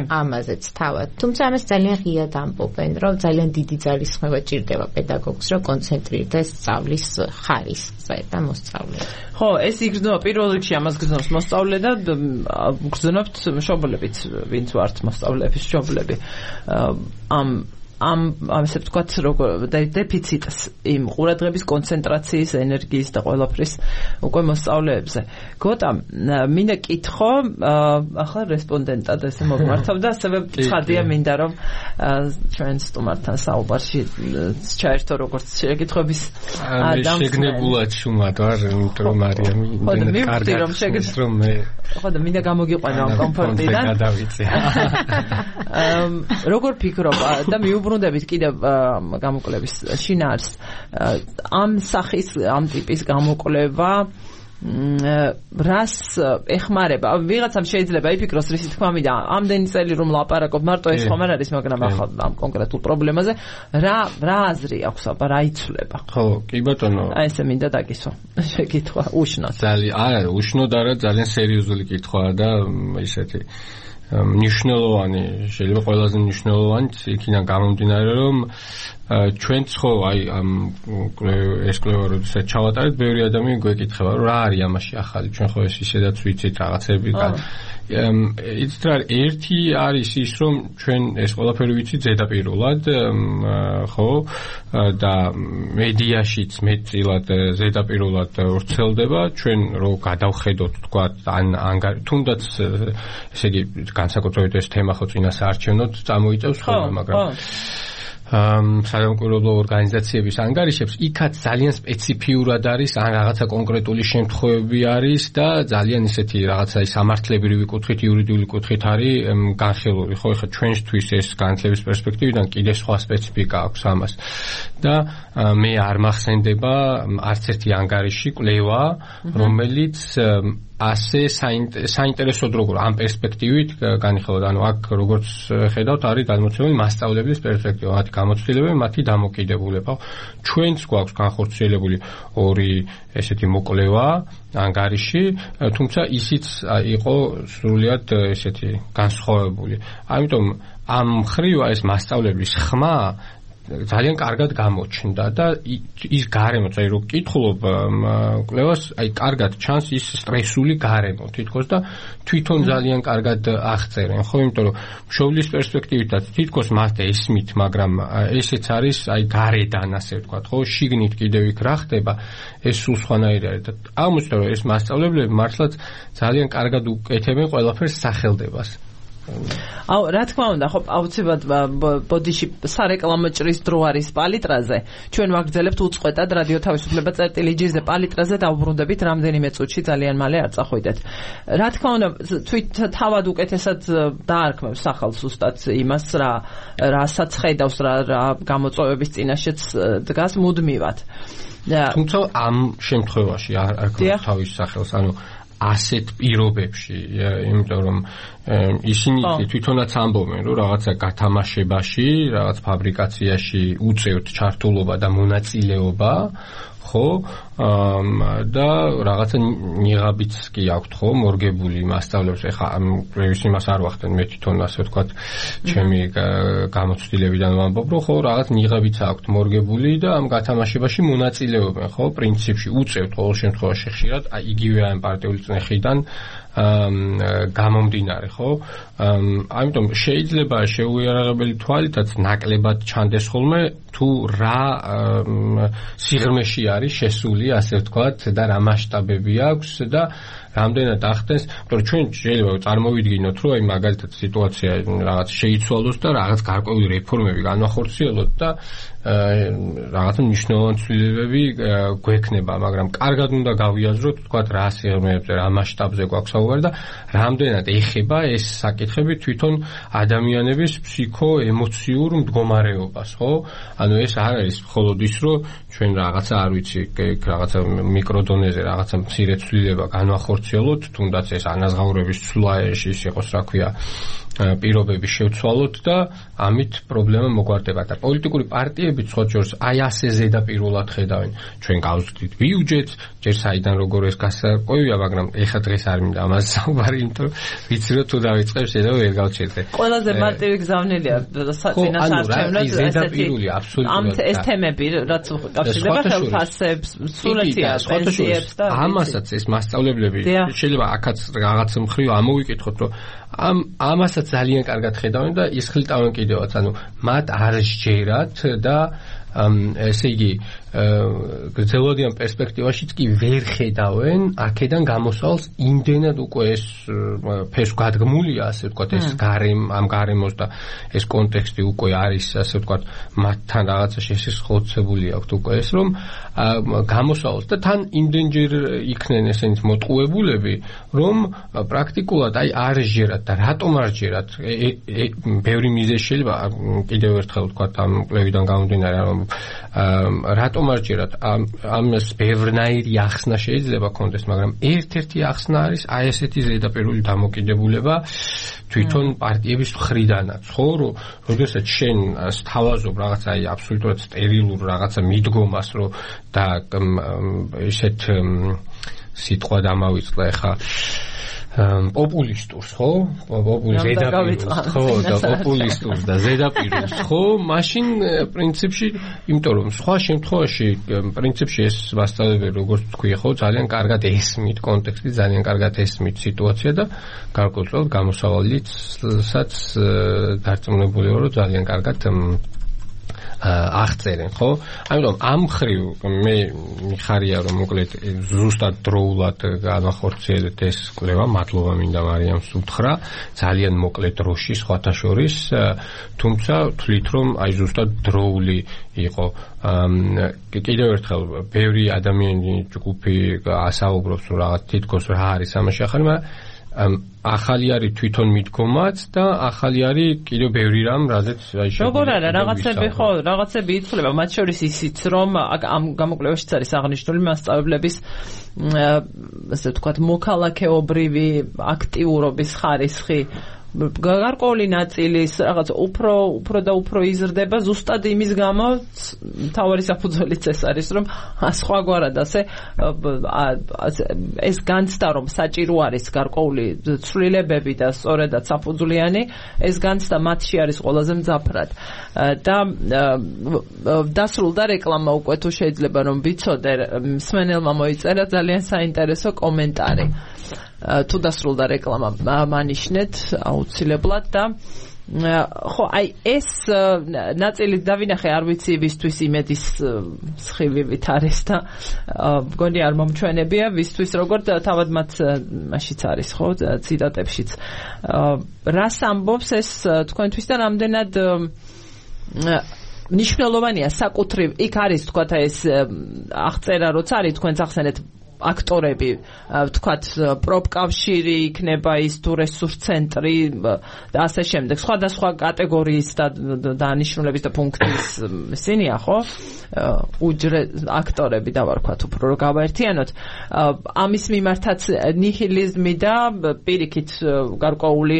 ამაზეც თავად. თუმცა ამას ძალიან ღიად ამბობენ, რომ ძალიან დიდი ძალისხმევა ჭირდება პედაგოგს, რომ კონცენტრირდეს სწავლის ხარისხზე და მოსწავლეზე. ხო, ეს იგრძნობა პირველ რიგში ამას გრძნობს მოსწავლე და გრძნობთ მშობლებიც, ვინც ვართ მოსწავლეების მშობლები. ამ ესე ვთქვათ, როგორ დეფიციტს იმ ყურადღების კონცენტრაციის, ენერგიის და ყველაფრის უკვე მოსწავლეებზე. გოტა, მინდა კითხო, ახლა რესპონდენტად ესე მოგმართავ და ასევე ცხადია მინდა რომ ჩვენ სტუმართან საუბარში ჩაერთო როგორც შეკითხების ადამიანს. შეგნებულად შუმად ვარ, იმიტომ რომ მარიამი კარგი რომ შეგეცრომ მე. ხო და მინდა გამოგიყვანო ამ კომფორტიდან. როგორ ფიქრობ და მიუბრუნდებით კიდევ გამოკვლევის შინაარს ამ სახის ამ ტიპის გამოკვლევა რას ეხმარება? ვიღაცამ შეიძლება იფიქროს, რისი თქმა მინდა, ამდენი წელი რომ ლაპარაკობ, მარტო ეს ხომ არ არის, მაგრამ ახლა ამ კონკრეტულ პრობლემაზე რა აზრი აქვს აბა, რა იცვლება? ხო, კი ბატონო. აი ესე მინდა დაგისვა შეკითხვა უშნოდ. არა, უშნოდ არა, ძალიან სერიოზული კითხვაა და ისეთი მნიშვნელოვანი, შეიძლება ყველაზე მნიშვნელოვანი იქიდან გამომდინარე, რომ ჩვენც ხო აი ამ ეს კვლევა როდესაც ჩავატარეთ, ბევრი ადამიანი გვეკითხება, რომ რა არის ამაში ახალი, ჩვენ ხო ეს ისედაც ვიცით რაღაცები. იცით რა, ერთი არის ის, რომ ჩვენ ეს ყველაფერი ვიცით ზედაპირულად, ხო, და მედიაშიც მეტწილად ზედაპირულად ვრცელდება, ჩვენ რო გადავხედოთ, თქვა, ან თუნდაც ესე იგი განსაკუთრებით ეს თემა ხო წინა საარჩევნოდ წამოიწევს ხოლმე, მაგრამ სამოქალაქო ორგანიზაციების ანგარიშებს იქაც ძალიან სპეციფიურად არის ან რაღაცა კონკრეტული შემთხვევები არის და ძალიან ისეთი რაღაცა სამართლებრივი კუთხით, იურიდიული კუთხით არის განხილული. ხო, ეხლა ჩვენთვის ეს განათლების პერსპექტივიდან კიდე სხვა სპეციფიკა აქვს ამას. და მე არ მახსენდება არც ერთი ანგარიში, კვლევა, რომელიც ასე საინტერესოდ როგორ ამ პერსპექტივით განიხილოთ, ანუ აქ როგორც ხედავთ არის გადმოცემული მასწავლებლების პერსპექტივა, მათი გამოცდილებები, მათი დამოკიდებულება. ჩვენც გვაქვს განხორციელებული ორი ესეთი მოკვლევა ანგარიში, თუმცა ისიც იყო სრულიად ესეთი განსხვავებული. ამიტომ ამ მხრივ ეს მასწავლებლის ხმა ძალიან კარგად გამოჩნდა და ის გარემო, წაი რო ვკითხულობ კვლევას, კარგად ჩანს ის სტრესული გარემო თითქოს და თვითონ ძალიან კარგად აღწერენ, ხო, იმიტომ რომ მშობლის პერსპექტივითაც თითქოს მას ესმით, მაგრამ ესეც არის გარედან, ასე ვთქვათ, ხო, შიგნით კიდევ იქ რა ხდება, ეს სულ სხვანაირი არის და აღმოჩნდა რომ ეს მასწავლებლები მართლაც ძალიან კარგად უკეთებენ ყველაფერს სახელდებას. რა თქმა უნდა, ხო, აუცილებლად ბოდიში სარეკლამო ჭრის დრო არის პალიტრაზე. ჩვენ ვაგრძელებთ უწყვეტად რადიო თავისუფლება წერტილი-ჯირზე პალიტრაზე დავბრუნდებით რამდენიმე წუთში, ძალიან მალე არ წახვიდეთ. რა თქმა უნდა, თავად უკეთესად დაარქმევს ახალ ზუსტად იმას, რასაც ხედავს, რა გამოწვევების წინაშეც დგას მუდმივად. თუმცა ამ შემთხვევაში არ ქონს თავის სახელს, ანუ ასეთ პირობებში, იმიტომ რომ ისინი თვითონაც ამბობენ, რომ რაღაცა გათამაშებაში, რაღაც ფაბრიკაციაში უწევთ ჩართულობა და მონაწილეობა, ხო, და რაღაცა ნიღაბიც კი აქვთ, ხო, მორგებული მასწავლებს. ეხლა ამ კვლევის იმას არ ვახდენ, მე თვითონ ასე ვთქვათ, ჩემი გამოცდილებიდან ვამბობ, რომ ხო, რაღაც ნიღაბიც აქვთ მორგებული და ამ გათამაშებაში მონაწილეობენ, ხო, პრინციპში უწევთ ყოველ შემთხვევაში ხშირად, იგივე ამ პარტიული წნეხიდან გამომდინარე, ხო? ამიტომ შეიძლება შეუიარაღებელი თვალითაც ნაკლებად ჩანდეს ხოლმე თუ რა სიღრმეში არის შესული, ასე ვთქვათ, და რა მასშტაბები აქვს და რამდენად ახდენს, იმიტომ რომ ჩვენ შეიძლება წარმოვიდგინოთ, რომ აი მაგალითად სიტუაცია რაღაც შეიცვალოს და რაღაც გარკვეული რეფორმები განვახორციელოთ და რაღაცა მნიშვნელოვანი ცვლილებები გვექნება, მაგრამ კარგად უნდა გავიაზროთ, თქვათ, რა სიღრმეებზე, რა მასშტაბზე გვაქვს საუბარი და რამდენად ეხება ეს საკითხები თვითონ ადამიანების ფსიქო-ემოციურ მდგომარეობას, ხო? ანუ ეს არ არის მხოლოდ ის, რომ ჩვენ რაღაცა არ ვიცი, რაღაცა მიკროდონეზე რაღაცა მცირე ცვლილება განვახორციელოთ, თუნდაც ეს ანაზღაურების ცვლა ის იყოს, რა ქვია, პირობები შევცვალოთ და ამით პრობლემა მოგვარდება და პოლიტიკური პარტიები ცოტ-შორს აი ასე ზედაპირულად ხედავენ. ჩვენ გავზრდით ბიუჯეტს, ჯერ საიდან როგორ ეს გასაკვირია, მაგრამ ეხლა დღეს არ მინდა ამას საუბარი, იმიტომ რომ ვიცი რომ თუ დავიწყებ შეიძლება ვერ გავჩერდე. ყველაზე მარტივი გზავნილია წინასაარჩევნო ზედაპირული აბსოლუტურად. ეს თემები რაც კავშირდება ხელფასებს, სულეთიას, პენსიებს და ამასაც ეს მასწავლებლები შეიძლება აქაც რაღაც მხრივ ამოვიკითხოთ, რომ ამასაც ძალიან კარგად ხედავენ და ისხლიტავენ კიდევაც, ანუ მათ არ სჯერათ და ესე იგი გრძელვადიან პერსპექტივაშიც კი ვერ ხედავენ აქედან გამოსვალს იმდენად უკვე ეს ფესვ გადგმულია, ასე ვთქვათ, ეს ამ გარემოს და ეს კონტექსტი უკვე არის, ასე ვთქვათ, მათთან რაღაცა შესაძლებელი აქვთ უკვე ეს, რომ გამოსვალოს და თან იმდენჯერ იქნენ ესენიც მოტყუებულები, რომ პრაქტიკულად აი არ სჯერათ და რატომ არ სჯერათ? ბევრი მიზეზი შეიძლება კიდევ ერთხელ ვთქვათ ამ კვლევიდან გამომდინარე, რომ რატომ არ სჯერათ? ამას ბევრნაირი ახსნა შეიძლება კონდეს, მაგრამ ერთ-ერთი ახსნა არის აი ესეთი ზედაპირული დამოკიდებულება თვითონ პარტიების მხრიდანაც, ხო, რომ როდესაც შენ სთავაზობ რაღაცა აი აბსოლუტურად სტერილურ რაღაცა მიდგომას, რომ და ესეთ სიტყვა დამავიწყდა ეხა პოპულისტურს, ხო? ზედაპირულს, ხო, და პოპულისტურს და ზედაპირულს, ხო? მაშინ პრინციპში, იმიტომ რომ სხვა შემთხვევაში პრინციპში ეს მასწავლებელი, როგორც თქვი, ხო, ძალიან კარგად ესმით კონტექსტი, ძალიან კარგად ესმით სიტუაცია და გარკვეულწილად გამოსავალიცაც დარწმუნებული ვარ, რომ ძალიან კარგად აღწერენ, ხო? ამიტომ ამ მხრივ მე მიხარია, რომ მოკლედ ზუსტად დროულად განახორციელეთ ეს კვლევა, მადლობა მინდა მარიამს უთხრა, ძალიან მოკლე დროში სხვათა შორის, თუმცა თვლით რომ აი ზუსტად დროული იყო. კიდევ ერთხელ ბევრი ადამიანი ჯგუფი ასაუბრობს, რომ რაღაც თითქოს რა არის ამაში ახალი, მაგრამ ახალი არის თვითონ მიდგომაც და ახალი არის კიდევ ბევრი რამ, რაზეც აი როგორ არა, რაღაცები იცვლება, მათ შორის ისიც, რომ ამ გამოკვლევაშიც არის აღნიშნული მასწავლებლების ასე ვთქვათ, მოქალაქეობრივი აქტიურობის ხარისხი გარკვეული ნაწილის რაღაც უფრო და უფრო იზრდება ზუსტად იმის გამო თავარი საფუძველიც ეს არის რომ სხვაგვარად ასე ეს განცდა რომ საჭირო არის გარკვეული ცვლილებები და სწორედაც საფუძვლიანი ეს განცდა მათში არის ყველაზე მძაფრად და დასრულდა რეკლამა უკვე თუ შეიძლება რომ ვიცოდე მსმენელმა მოიწერა ძალიან საინტერესო კომენტარი თუ დასრულდა რეკლამა მანიშნეთ აუცილებლად და ხო აი ეს ნაწილი დავინახე არ ვიცი ვისთვის იმედის სხივივით არის და მგონი არ მომჩვენებია ვისთვის როგორ თავად მათ მაშიც არის ხო ციტატებშიც რას ამბობს ეს თქვენთვის და რამდენად მნიშვნელოვანია საკუთრივ იქ არის თქვა ეს აღწერა როცა არის თქვენს ახსენეთ აქტორები ვთქვათ პროპკავშირი იქნება ის თუ რესურს ცენტრი და ასე შემდეგ სხვადასხვა კატეგორიის და დანიშნულების და ფუნქციის ისინია ხო აქტორები დავარქვათ უფრო რომ გავაერთიანოთ ამის მიმართაც ნიჰილიზმი და პირიქით გარკვეული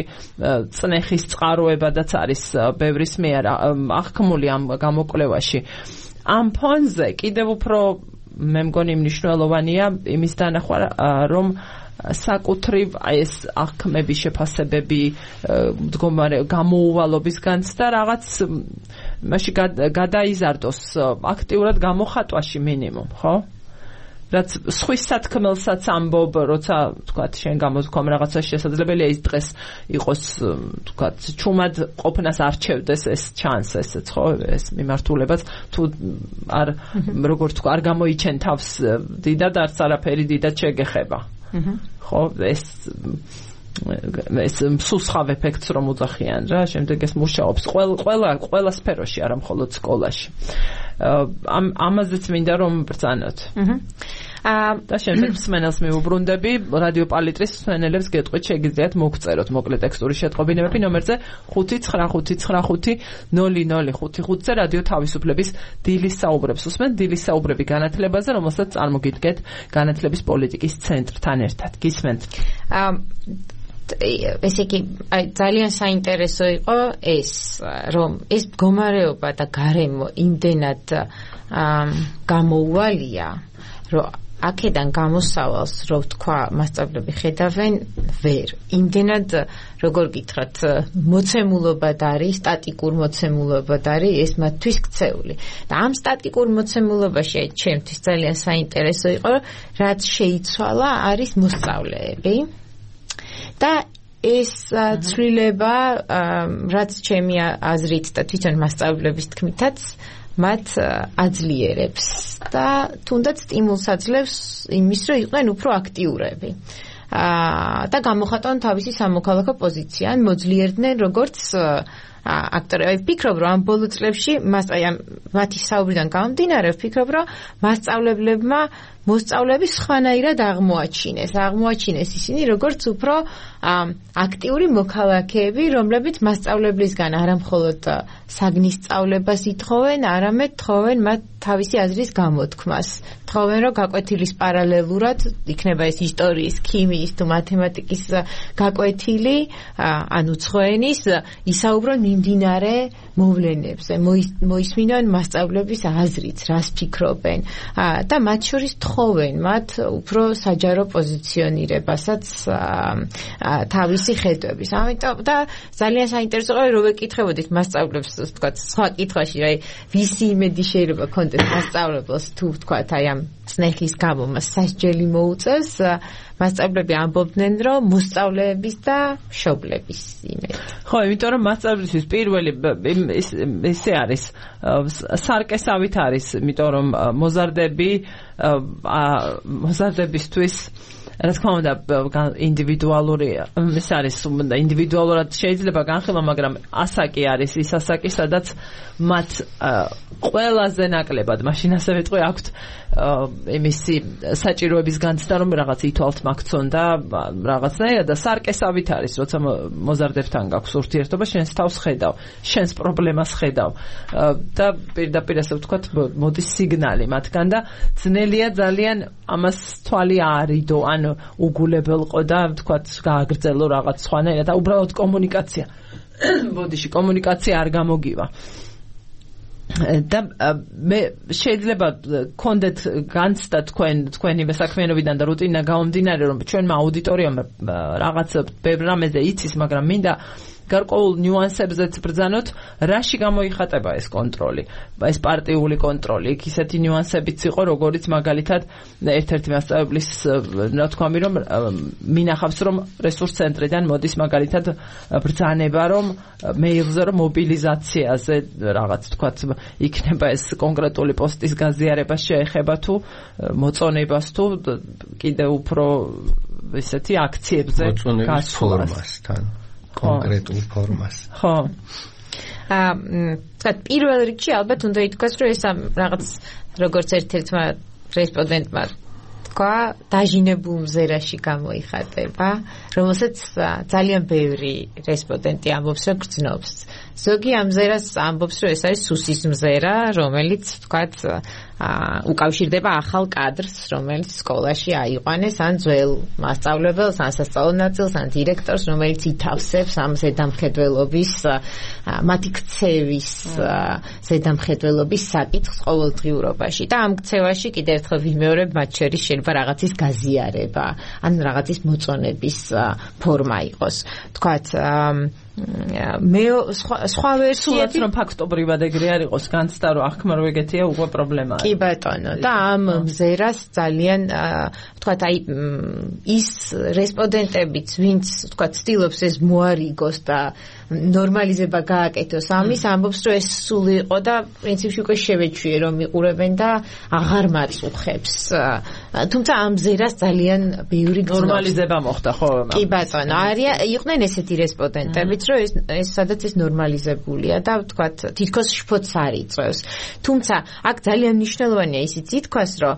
წნეხის წყაროებადაც არის ბევრის მიერ აღქმული ამ გამოკვლევაში ამ ფონზე კიდევ უფრო მე მგონი მნიშვნელოვანია იმის დანახვა რომ საკუთრივ ეს აღქმების შეფასებები მდგომარე გამოუვალობის განცდა რაღაც მაშინ გადაიზარდოს აქტიურად გამოხატვაში მინიმუმ ხო რაც სხვის სათქმელსაც ამბობ როცა თქვათ შენ გამოთქვამ რაღაცა შესაძლებელია ის დღეს იყოს თქვათ ჩუმად ყოფნას არჩევდეს ეს ჩანს ესეც ხო ეს მიმართულებაც თუ არ როგორ თქვა არ გამოიჩენ თავს დიდად არც არაფერი დიდად შეგეხება ხო ეს მსუსხავ ეფექტს რომ უძახიან რა შემდეგ ეს მუშაობს ყველა სფეროში არა მხოლოდ სკოლაში ამაზეც მინდა რომ ბრძანოთ და შემდეგ მსმენელს მიუბრუნდები რადიო პალიტრის მსმენელებს გეტყვით შეგიძლიათ მოგწეროთ მოკლე ტექსტური შეტყობინებები ნომერზე 599500555-ზე რადიო თავისუფლების დილის საუბრებს უსმენთ დილის საუბრები განათლებაზე რომელსაც წარმოგიდგეთ განათლების პოლიტიკის ცენტრთან ერთად გისმენთ ესე იგი ძალიან საინტერესო იყო ეს რომ ეს მდგომარეობა და გარემო იმდენად გამოუვალია რომ აქედან გამოსავალს რო თქვა მასწავლებლები ხედავენ ვერ იმდენად როგორ გითხრათ მოცემულობად არის სტატიკურ მოცემულობად არის ეს მათთვის ქცეული და ამ სტატიკურ მოცემულობაში ჩემთვის ძალიან საინტერესო იყო რაც შეიცვალა არის მოსწავლეები და ეს ცვლილება რაც ჩემი აზრით და თვითონ მასწავლებლების თქმითაც მათ აძლიერებს და თუნდაც სტიმულს აძლევს იმის რომ იყვნენ უფრო აქტიურები და გამოხატონ თავისი სამოქალაქო პოზიცია ან მოძლიერდნენ როგორც აქტორები ვფიქრობ რომ ამ ბოლო წლებში მათი საუბრიდან გამომდინარე ვფიქრობ რომ მასწავლებლებმა მოსწავლეები სხვანაირად აღმოაჩინეს ისინი როგორც უფრო აქტიური მოქალაქეები რომლებიც მასწავლებლისგან არა მხოლოდ საგნის სწავლებას ითხოვენ არამედ თხოვენ მათ თავისი აზრის გამოთქმას თხოვენ რომ გაკვეთილის პარალელურად იქნება ეს ისტორიის ქიმიის თუ მათემატიკის გაკვეთილი ან უცხოენის ისაუბრონ მიმდინარე მოვლენებზე მოისმინონ მასწავლებლების აზრიც რას ფიქრობენ და მათ შორის თხოვენ მათ უფრო საჯარო პოზიციონირებასაც თავისი ხედვების. ამიტომ და ძალიან საინტერესო იყო რომ ეკითხებოდით მასწავლებლებს თქვათ სხვა კითხვაში აი ვისი იმედი შეიძლება კონტექსტ მასწავლებლს თუ თქვათ აი ამ წნეხის გამო მას სასჯელი მოუწევს მასწავლებლები ამბობდნენ რომ მოსწავლეების და მშობლების იმედი. ხო, იმიტომ რომ მასწავლებლისთვის პირველი ისე არის სარკესავით არის, იმიტომ რომ მოზარდებისთვის რა თქმა უნდა ინდივიდუალური ეს არის ინდივიდუალურად შეიძლება განხილვა მაგრამ ასაკი არის ის ასაკი სადაც მათ ყველაზე ნაკლებად მაშინ ასე ვიტყვი აქვთ იმისი საჭიროების განცდა რომ რაღაც ითვალთ მაგცონ და რაღაცნაირად და სარკესავით არის როცა მოზარდებთან გაქვს ურთიერთობა შენს თავს ხედავ შენს პრობლემას ხედავ და პირდაპირ ასე ვთქვათ მოდის სიგნალი მათგან და ძნელია ძალიან ამას თვალი აარიდო ანუ უგულებელყო და თქვათ გააგრძელო რაღაც სხვანაირად და უბრალოდ კომუნიკაცია ბოდიში კომუნიკაცია არ გამოგივა და მე შეიძლება გქონდეთ განცდა თქვენი საქმიანობიდან და რუტინა გამომდინარე რომ ჩვენმა აუდიტორიამ რაღაც ბევრ რამეზე იცის მაგრამ მინდა გარკვეულ ნიუანსებზეც ბრძანოთ, რაში გამოიხატება ეს კონტროლი, ეს პარტიული კონტროლი. იქ ისეთი ნიუანსებიც იყო, როგორიც მაგალითად ერთ-ერთი მასწავლებლის ნათქვამი, რომ მინახავს, რომ რესურს ცენტრიდან მოდის მაგალითად ბრძანება, რომ მეილზე რომ მობილიზაციაზე რაღაც თქვათ იქნება ეს კონკრეტული პოსტის გაზიარებას შეეხება თუ მოწონებას თუ კიდევ უფრო ესეთი აქციებზე გასვლასთან. კონკრეტულ ფორმას. ხო. პირველ რიგში ალბათ უნდა ითქვას, რომ ეს რაღაც როგორც ერთ-ერთმა რესპონდენტმა თქვა, დაჟინებულ მზერაში გამოიხატება, რომელსაც ძალიან ბევრი რესპონდენტი ამბობს, რომ გრძნობს. ზოგი ამ მზერას ამბობს, რომ ეს არის სუსის მზერა, რომელიც თქვათ უკავშირდება ახალ კადრს, რომელიც სკოლაში აიყვანეს, ან ძველ მასწავლებელს, ან სასწავლო ნაწილს, ან დირექტორს, რომელიც ითავსებს ამ ზედამხედველობის, მათი ქცევის ზედამხედველობის საკითხს ყოველდღიურობაში. და ამ ქცევაში კიდევ ერთხელ ვიმეორებ, მათ შორის შეიძლება რაღაცის გაზიარება, ან რაღაცის მოწონების ფორმა იყოს. თქვათ მე სხვა ვერსიები რომ ფაქტობრივად ეგრე არ იყოს განცდა რომ ახმა რო ეგეთია უკვე პრობლემაა. კი ბატონო და ამ მზერას ძალიან ვთქვათ აი ის რესპონდენტებიც ვინც ვთქვათ ცდილობს ეს მოარიგოს და ნორმალიზება გააკეთოს ამის ამბობს რომ ეს სული იყო და პრინციპში უკვე შევეჩვიე რომ იყურებენ და აღარ მაწუხებს. თუმცა ამ მზერას ძალიან ბევრი ნორმალიზება მოხდა ხო? კი ბატონო იყვნენ ესეთი რესპონდენტებიც რომ ეს სადაც ეს ნორმალიზებულია და ვთქვათ თითქოს შფოთს არ იწევს. თუმცა აქ ძალიან მნიშვნელოვანია ისიც ითქვას რომ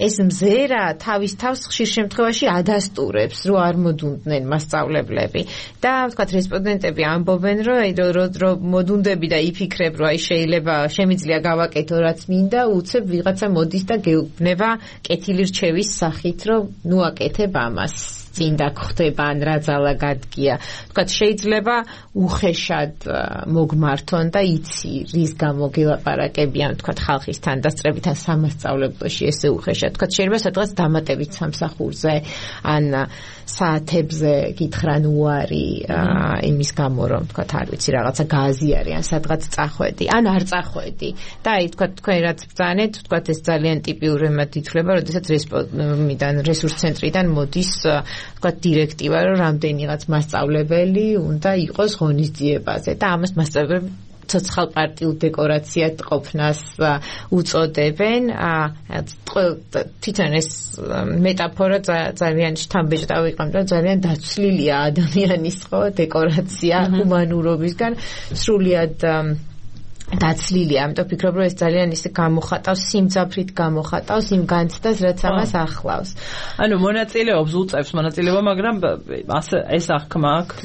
ეს მზერა თავის თავს ხშირ შემთხვევაში ადასტურებს რომ არ მოდუნდნენ მასწავლებლები და ვთქვათ რესპონდენტები ამბობენ რომ მოდუნდები და იფიქრებ რომ აი შეიძლება შემიძლია გავაკეთო რაც მინდა უცებ ვიღაცა მოდის და გეუბნება კეთილი რჩევის სახით რომ ნუ აკეთებ ამას წინ დაგხვდება ან რა ძალა გადგია. ვთქვათ შეიძლება უხეშად მოგმართონ და იცი რის გამო გელაპარაკებიან ვთქვათ ხალხის თანდასწრებით ან სამასწავლებლოში ესე უხეშად. ვთქვათ შეიძლება სადღაც დამატებით სამსახურზე ან საათებზე გითხრან უარი იმის გამო რომ ვთქვათ არ ვიცი რაღაცა გააზიარი ან სადღაც წახვედი ან არ წახვედი. და აი ვთქვათ თქვენ რაც ბრძანეთ ვთქვათ ეს ძალიან ტიპიურად ითვლება, როდესაც რესურს ცენტრიდან მოდის ვთქვათ დირექტივა რომ რამდენიღაც მასწავლებელი უნდა იყოს ღონისძიებაზე და ამას მასწავლებლები ცოცხალ პარტიულ დეკორაციად ყოფნას უწოდებენ. თვითონ ეს მეტაფორა ძალიან შთამბეჭდავი იყო, რომ ძალიან დაცვლილია ადამიანის ხო დეკორაცია ჰუმანურობისგან სრულიად დაცლილია, ამიტომ ვფიქრობ, რომ ეს ძალიან ისე გამოხატავს, სიმძაფრით გამოხატავს იმ განცდას, რაც ამას ახლავს. ანუ მონაწილეობს უწევს მონაწილეობა, მაგრამ ეს აღქმა აქვს.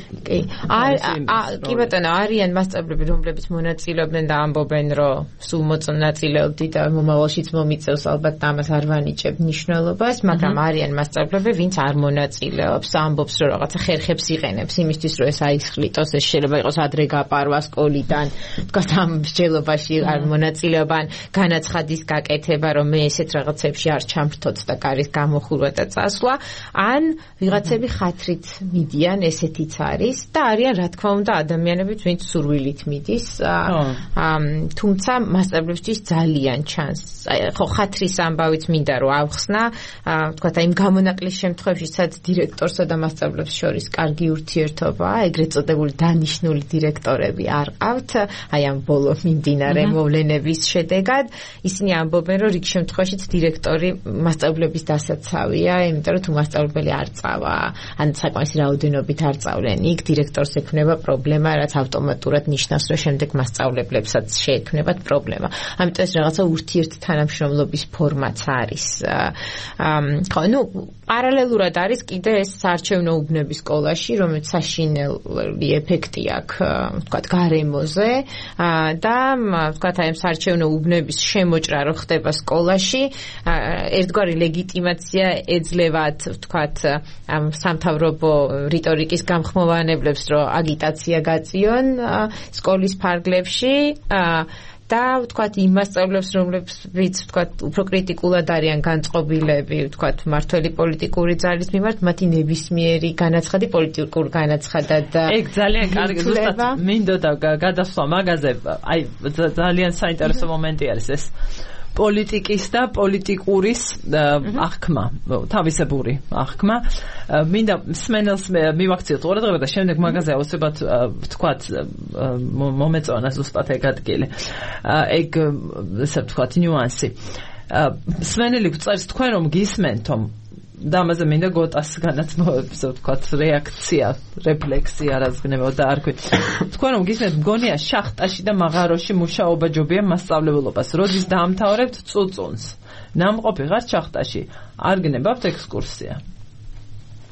კი ბატონო, არიან მასწავლებლები, რომლებიც მონაწილეობდნენ და ამბობენ, რომ სულ მონაწილეობდი და მომავალშიც მომიწევს, ალბათ ამას არ ვანიჭებ მნიშვნელობას, მაგრამ არიან მასწავლებლები, ვინც არ მონაწილეობს, ამბობს, რომ რაღაცა ხერხებს იყენებს იმისთვის, რომ ეს აისხლიტოს, ეს შეიძლება იყოს ადრე გაპარვა სკოლიდან, თქვათ ამ მსჯელობაში არ მონაწილეობან განაცხადის გაკეთება რომ მე ესეთ რაღაცებში არ ჩამრთოთ და კარის გამოხურვა და წასვლა ან ვიღაცები ხათრით მიდიან ესეთიც არის და არიან რა თქმა უნდა ადამიანებიც ვინც სურვილით მიდის თუმცა მასწავლებლებისთვის ძალიან ჩანს ხო ხათრის ამბავიც მინდა რომ ავხსნა ვთქვათ აი გამონაკლის შემთხვევაში სადაც დირექტორსა და მასწავლებლებს შორის კარგი ურთიერთობაა ეგრეთ წოდებული დანიშნული დირექტორები არ ყავთ აი ამ ბოლო მიმდინარე მოვლენების შედეგად ისინი ამბობენ რომ რიგ შემთხვევაშიც დირექტორი მასწავლებლების დასაცავია იმიტომ რომ თუ მასწავლებელი არ წავა ან საკმარისი რაოდენობით არ წავლენ იქ დირექტორს ექნება პრობლემა რაც ავტომატურად ნიშნავს რომ შემდეგ მასწავლებლებსაც შეექმნებათ პრობლემა ამიტომ ეს რაღაცა ურთიერთთანამშრომლობის ფორმაც არის ხო ნუ პარალელურად არის კიდე ეს საარჩევნო უბნები სკოლაში რომელიც საშინელი ეფექტი აქვს ვთქვათ გარემოზე და ვთქვათ, აი ამ საარჩევნო უბნების შემოჭრა რო ხდება სკოლაში, ერთგვარი ლეგიტიმაცია ეძლევათ, ვთქვათ, ამ სამთავრობო რიტორიკის გამხმოვანებლებს, რომ აგიტაცია გაწიონ სკოლის ფარგლებში და ვთქვათ იმ მასწავლებლებს, რომლებიც ვთქვათ უფრო კრიტიკულად არიან განწყობილები, ვთქვათ მართველი პოლიტიკური ძალის მიმართ, მათი ნებისმიერი განაცხადი პოლიტიკურ განაცხადად. ეგ ძალიან კარგი, ზუსტად მინდოდა გადასვლა მაგაზე, აი ძალიან საინტერესო მომენტი არის ეს. პოლიტიკის და პოლიტიკურის აღქმა, თავისებური აღქმა. მინდა მსმენელს მივაქციოთ ყურადღება და შემდეგ მაგაზე აუცილებლად ვთქვათ მომეწონა ზუსტად ეგ ადგილი. ეგ ესე ვთქვათ ნიუანსი. მსმენელი გწერს თქვენ რომ გისმენთ და ამაზე მინდა გოტას განაცმოებებს ვთქვათ რეაქცია, რეფლექსია რაზგნებო და არ ქვი. თქვენ რომ გისმენთ მგონია შახტაში და მაღაროში მუშაობა ჯობია მასწავლებლობას. როდის დაამთავრებთ წუწუნს. ნამყოფი ხარ შახტაში. არ გნებავთ ექსკურსია.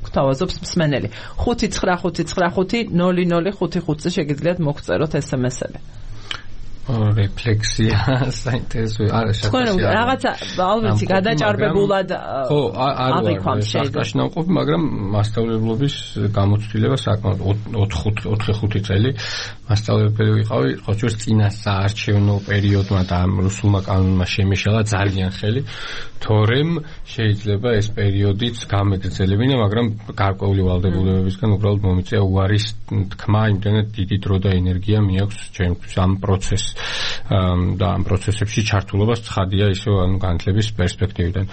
გვთავაზობს მსმენელი. 595550055-ზე შეგიძლიათ მოგწეროთ SMS-ები. რეფლექსია საინტერესოა არა თქვენ რაღაცა ალბათი გადაჭარბებულად აღიქვამთ შახტაში ნამყოფი, მაგრამ მასწავლებლობის გამოცდილება საკმაოდ 4-5 წელი მასწავლებელი ვიყავი, ხოჭოს წინა საარჩევნო პერიოდმა და ამ რუსულმა კანონმა შემიშალა ძალიან ხელი, თორემ შეიძლება ეს პერიოდიც გამეგრძელებინა, მაგრამ გარკვეული ვალდებულებებისგან უბრალოდ მომიწია უარის თქმა, იმდენად დიდი დრო და ენერგია მიაქვს ჩემთვის ამ პროცესს და ამ პროცესებში ჩართულობას ცხადია ისე განათლების პერსპექტივიდან.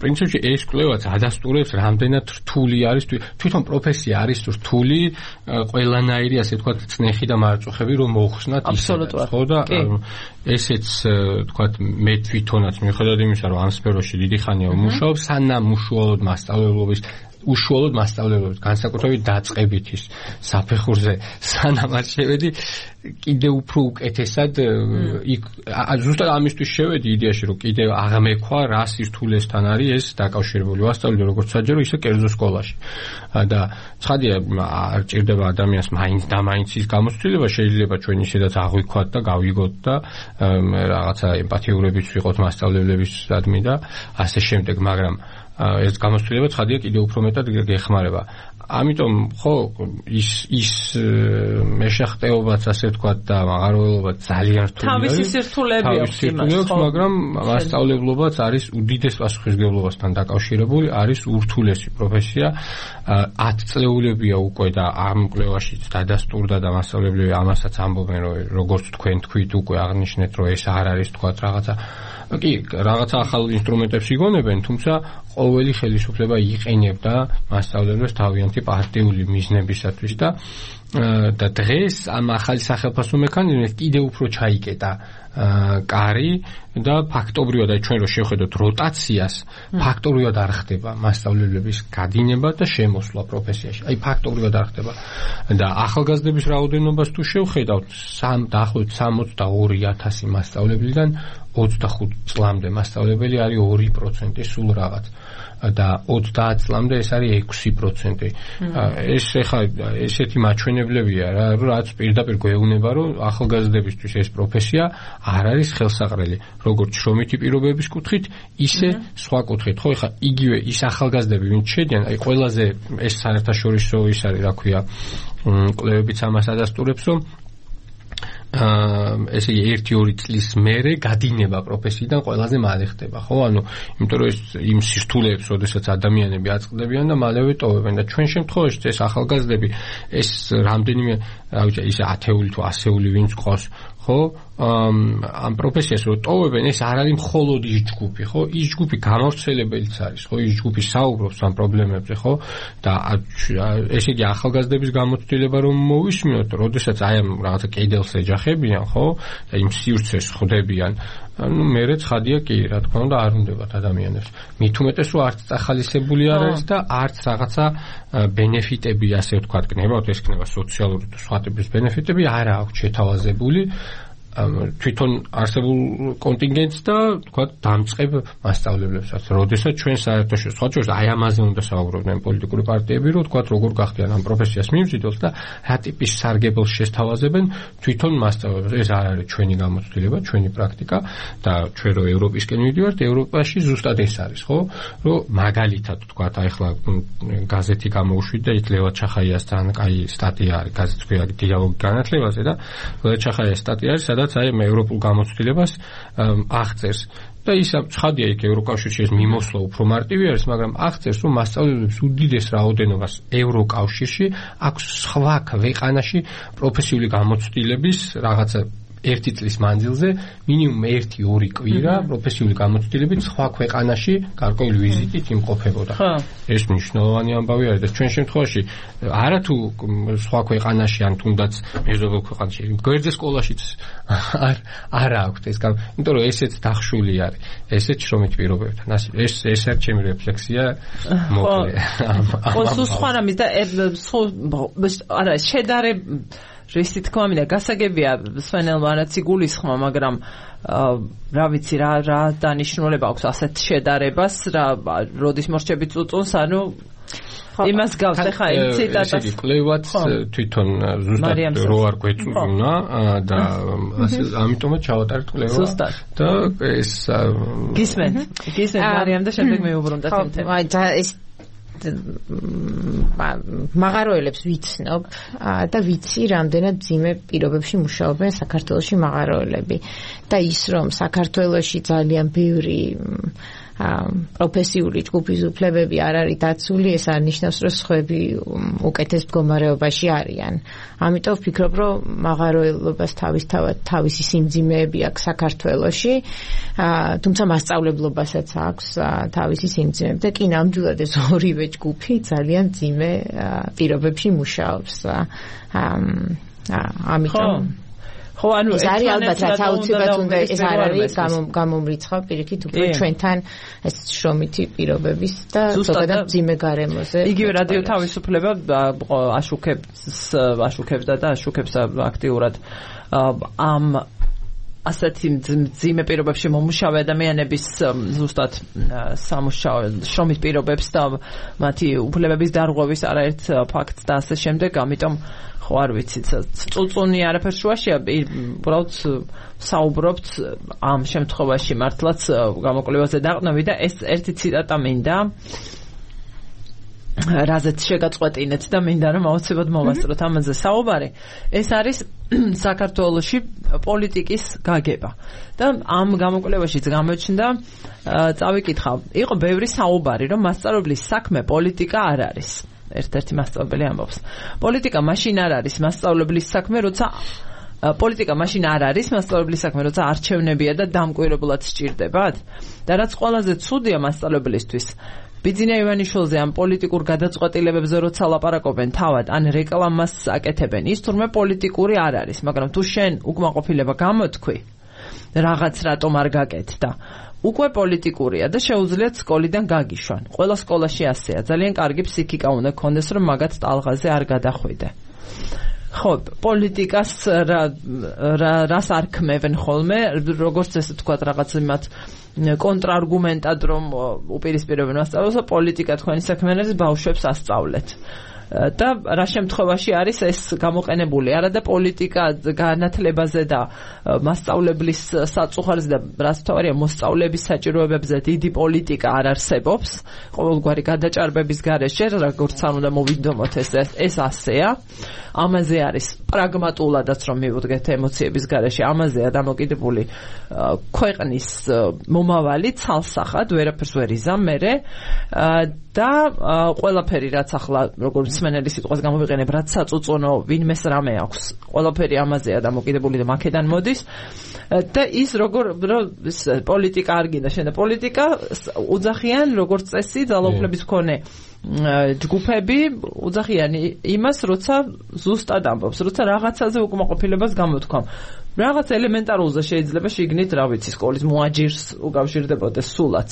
პრინციპში ეს კვლევაც ადასტურებს რამდენად რთული არის თვითონ პროფესია არის რთული ყველანაირი ასე ვთქვათ წნეხი და მარწუხები რომ მოხსნათ აბსოლუტურად ხო და ესეც ვთქვათ მე თვითონაც მიუხედავად იმისა რომ ამ სფეროში დიდი ხანია ვმუშაობ სანამ უშუალოდ მასწავლებლობის განსაკუთრებით დაწყებითის საფეხურზე სანამ არ შევედი კიდე უფრო უკეთესად ზუსტად ამისთვის შევედი იდეაში რომ კიდე აღმექვა რა სირთულესთან არის ეს დაკავშირებული ვასწავლე როგორც საჯარო ისე კერძო სკოლაში და ცხადია არ ჭირდება ადამიანს მაინც და მაინც ის გამოცდილება შეიძლება ჩვენ ისედაც აღვიქვათ და გავიგოთ და რაღაცა ემპათიურებიც ვიყოთ მასწავლებლებისადმი და ასე შემდეგ მაგრამ ეს გამოცდილება ცხადია კიდევ უფრო მეტად გეხმარება. ამიტომ ხო ის მეშახტეობაც ასე ვთქვათ და მაღაროელობაც ძალიან რთულია. თავისი სირთულეები აქვს იმას, მაგრამ მასწავლებლობაც არის უდიდეს პასუხისმგებლობასთან დაკავშირებული, არის ურთულესი პროფესია. 10 წლეულებია უკვე და ამ კვლევაში დადასტურდა და მასწავლებლები ამასაც ამბობენ, რომ როგორც თქვენ თქვით უკვე აღნიშნეთ, რომ ეს არ არის ვთქვათ რაღაცა ახალ ინსტრუმენტებს იგონებენ, თუმცა ყოველი ხელისუფლება იყენებდა მასწავლებლებს თავიანთი პარტიული მიზნებისათვის და დღეს ამ ახალი სახელმწიფო მექანიზმით კიდევ უფრო ჩაიკეტა კარი და ფაქტობრივად ჩვენ რო შევხედოთ როტაციას ფაქტობრივად არ ხდება მასწავლებლების გადინება და შემოსვლა პროფესიაში. აი ფაქტობრივად არ ხდება და ახალგაზრდების რაოდენობას თუ შევხედავთ დაახლოებით 62,000 მასწავლებლიდან 25 წლამდე მასწავლებელი არის 2% სულ რაღაც და 30 წლამდე ეს არის 6%. ეს ეხლა ესეთი მაჩვენებლებია რა, რაც პირდაპირ გვეუბნება, რომ ახალგაზრდებისთვის ეს პროფესია არ არის ხელსაყრელი, როგორც შრომითი პირობების კუთხით, ისე სხვა კუთხით. ხო, ეხლა იგივე ის ახალგაზრდები, ვინც შედიან, აი ყველაზე ეს საერთაშორისო ის არის, რა ქვია, კვლევებიც ამას ადასტურებს, რომ ესე იგი 1-2 წლის მერე გადინება პროფესიიდან ყველაზე მალე ხდება, ხო? ანუ იმიტომ რომ ეს იმ სირთულეებს, როდესაც ადამიანები აწყდებიან და მალევე ტოვებენ და ჩვენ შემთხვევაში ეს ახალგაზრდები ეს რამდენიმე, რა ვიცი, ისე 10-ული თუ 100-ული ვინც ყავს, ხო? ამ პროფესიას რო ტოვებენ, ეს არ არის მხოლოდ ის ჯგუფი, ხო? ის ჯგუფი გამავრცელებელიც არის, ხო? ის ჯგუფი საუბრობს ამ პრობლემებზე, ხო? და ესე იგი ახალგაზრდების გამოცდილება რომ მოვისმინოთ, როდესაც აი ამ რაღაცა კედელს ეჯახებიან, ხო? და იმ სივრცეს ხვდებიან, ანუ მერე ცხადია კი, რა თქმა უნდა, არ უნდებათ ადამიანებს. მით უმეტეს რომ არც წახალისებული არ არის და არც რაღაცა ბენეფიტები, ასე ვთქვათ, გნებავთ, ეს ქნება სოციალური თუ სხვა ტიპის ბენეფიტები არ აქვს შეთავაზებული. თვითონ არსებულ კონტინგენტს და თქვა დამწყებ მასწავლებლებსაც. როდესაც ჩვენ საერთაშორისო სხვათა აი ამაზე უნდა საუბრობდნენ პოლიტიკური პარტიები, რომ თქვა როგორ გახდიან ამ პროფესიას მიმზიდველს და რა ტიპის სარგებელს შესთავაზებენ თვითონ მასწავლებლებს. ეს არ არის ჩვენი გამოცდილება, ჩვენი პრაქტიკა და ჩვენ რო ევროპისკენ მივიდივართ, ევროპაში ზუსტად ეს არის, ხო? რომ მაგალითად თქვა აი ახლა გაზეთი გამოუშვიდა იქ ლევა ჩახაიასთან კაი სტატია არის, გაზეთი ქვია დიალოგი განათლებაზე და ლევა ჩახაიას სტატია არის, სადაც აი ევროპულ გამოცდილებას აღწერს. და ის ცხადია იქ ევროკავშირში ეს მიმოსვლა უფრო მარტივი არის, მაგრამ აღწერს რომ მასწავლებლებს უდიდეს რაოდენობას ევროკავშირში აქვს სხვა ქვეყანაში პროფესიული გამოცდილების რაღაცა ერთი წლის მანძილზე მინიმუმ 1-2 კვირა პროფესიული გამოცდილებით სხვა ქვეყანაში გარკვეული ვიზიტით იმყოფებოდა. ეს მნიშვნელოვანი ამბავი არის და ჩვენ შემთხვევაში არათუ სხვა ქვეყანაში ან თუნდაც მეზობელ ქვეყანაში გვერდზე სკოლაშიც არ აქვს ეს, იმიტომ რომ ესეც დახშული არის, ესეც შრომით პირობებთან. ეს არის ჩემი რეფლექსია მოკლე. ხო, სხვა რამის და არა შედარება რისი თქმა მინდა გასაგებია სვენელმა რაც იგულისხმა, მაგრამ რა ვიცი რა დანიშნულება აქვს ასეთ შედარებას, როდის მორჩებით წუწუნს, ანუ იმას გავს ახლა იმ ციტატას. ესე იგი კლევაც თვითონ ზუსტად რო არ გვეწუნა და ამიტომაც ჩავატარეთ კლევა და ეს გისმენთ მარიამ და შემდეგ მეუბრუნდათ იმ თემას. ეს მაღაროელებს ვიცნობ და ვიცი რამდენად ძიმე პირობებში მუშაობენ საქართველოში მაღაროელები და ის რომ საქართველოში ძალიან ბევრი პროფესიული ჯგუფის უფლებები არ არის დაცული, ეს არ ნიშნავს რომ სხვები უკეთეს მდგომარეობაში არიან. ამიტომ ვფიქრობ რომ მაღაროელობას თავისი სიმძიმეები აქვს საქართველოში, თუმცა მასწავლებლობასაც აქვს თავისი სიმძიმეები და კი ნამდვილად ეს ორივე ჯგუფი ძალიან ძიმე პირობებში მუშაობს. ამიტომ ხო, ანუ ეს არის ალბათ რაც აუცილებლად უნდა ეს არ არის გამომრიცხავ პირიქით უფრო ჩვენთან ეს შრომითი პირობების და ზოგადად ძიმე გარემოზე. იგივე რადიო თავისუფლება აშუქებდა და აშუქებს აქტიურად ამ ასეთი ძიმე პირობებში მომუშავე ადამიანების ზუსტად სამუშაო შრომის პირობებს და მათი უფლებების დარღვევის არაერთ ფაქტს და ასე შემდეგ, ამიტომ ხო არ ვიცი, წუწუნი არაფერს შუაშია, უბრალოდ საუბრობთ ამ შემთხვევაში მართლაც გამოკვლევაზე დაყნები და ეს ერთი ციტატა მინდა რაზეც შეგაწყვეტინეთ და მინდა რომ აუცილებლად მოვასწროთ ამაზე საუბარი. ეს არის საქართველოში პოლიტიკის გაგება და ამ გამოკვლევაშიც გამოჩნდა, წავიკითხავ, იყო ბევრი საუბარი რომ მასწავლებლის საქმე პოლიტიკა არ არის. ერთ-ერთი მასწავლებელი ამბობს. პოლიტიკა მაშინ არ არის მასწავლებლის საქმე, როცა პოლიტიკა მაშინ არ არის მასწავლებლის საქმე, როცა არჩევნებია და დამკვირვებლად სჭირდებათ. და რაც ყველაზე ცუდია მასწავლებლისთვის, ბიძინა ივანიშვილზე ამ პოლიტიკურ გადაწყვეტილებებზე როცა ლაპარაკობენ თავად, ან რეკლამას აკეთებენ, ის თურმე პოლიტიკური არ არის, მაგრამ თუ შენ უკმაყოფილება გამოთქვი, რაღაც რატომ არ გაკეთდა, უკვე პოლიტიკურია და შეუძლიათ სკოლიდან გაგიშვან. ყველა სკოლაში ასეა. ძალიან კარგი ფსიქიკა უნდა გქონდეს, რომ მაგათ ტალღაზე არ გადახვიდე. ხო, პოლიტიკას რას არქმევენ ხოლმე, როგორც ესე თქვა რაღაც იმათ კონტრარგუმენტად რომ უპირისპირებენ მასწავლებლებს, პოლიტიკა თქვენი საქმე არის, ბავშვებს ასწავლეთ. და რა შემთხვევაში არის ეს გამოყენებული, არა და პოლიტიკა განათლებაზე და მასწავლებლის საწუხარზე და რაც თავარია მოსწავლების საჭიროებებზე დიდი პოლიტიკა არ არსებობს ყოველგვარი გადაჭარბების გარეშე, როგორც არ უნდა მოვიდომოთ ეს ასეა. ამაზე არის პრაგმატულადაც რომ მივუდგეთ ემოციების გარეშე, ამაზეა დამოკიდებული ქვეყნის მომავალი ცალსახად, ვერაფერს ვერ იზამ მერე და ყველაფერი რაც ახლა როგორც სმენელი სიტყვას გამოვიყენებ, რაც საწუწუნო ვინმეს რამე აქვს, ყველაფერი ამაზეა დამოკიდებული და მაქედან მოდის და ის როგორ პოლიტიკა არ გინდა შენ და პოლიტიკა უძახიან როგორც წესი ძალაუფლების მქონე ჯგუფები უძახიან იმას, როცა ზუსტად ამბობს, როცა რაღაცაზე უკმაყოფილებას გამოთქვამ. რაღაც ელემენტარულზე შეიძლება შეგნით, რა ვიცი, სკოლის მოაჯირს უკავშირდებოდეს სულაც.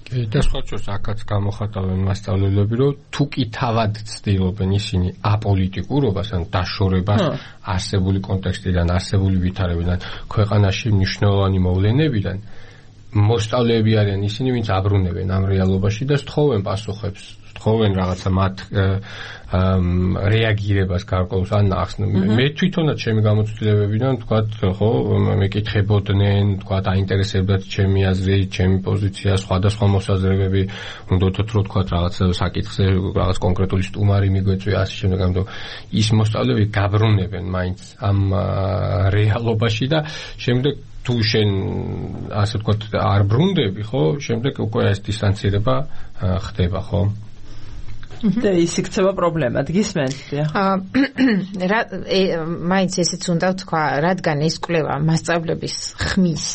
და სხვა შორის აქაც გამოხატავენ მასწავლებლები, რომ თუ კი თავად ცდილობენ ისინი აპოლიტიკურობას, ან დაშორებას არსებული კონტექსტიდან, არსებული ვითარებიდან, ქვეყანაში მნიშვნელოვანი მოვლენებიდან, მოსწავლეები არიან ისინი, ვინც აბრუნებენ ამ რეალობაში და სთხოვენ პასუხებს, სთხოვენ რაღაცა მათ რეაგირებას გარკვეულს ან ახსნ. მე თვითონაც ჩემი გამოცდილებებიდან ვთქვათ, ხო, მეკითხებოდნენ, ვთქვათ, აინტერესებდათ ჩემი აზრი, ჩემი პოზიცია, სხვადასხვა მოსაზრებები, უნდათ რომ ვთქვათ, რაღაც საკითხზე რაღაც კონკრეტული სტუმარი მიგვეწვია, ასე შემდეგ, ამიტომ ის მოსწავლეები გაბრუნებენ მაინც ამ რეალობაში და შემდეგ თუ შენ ასე ვთქვათ არ ბრუნდები, ხო, შემდეგ უკვე ეს დისტანცირება ხდება, ხო? და ის იქცევა პრობლემა, გისმენთ? მაინც ესეც უნდა ვთქვა, რადგან ეს კვლევა მასწავლების ხმის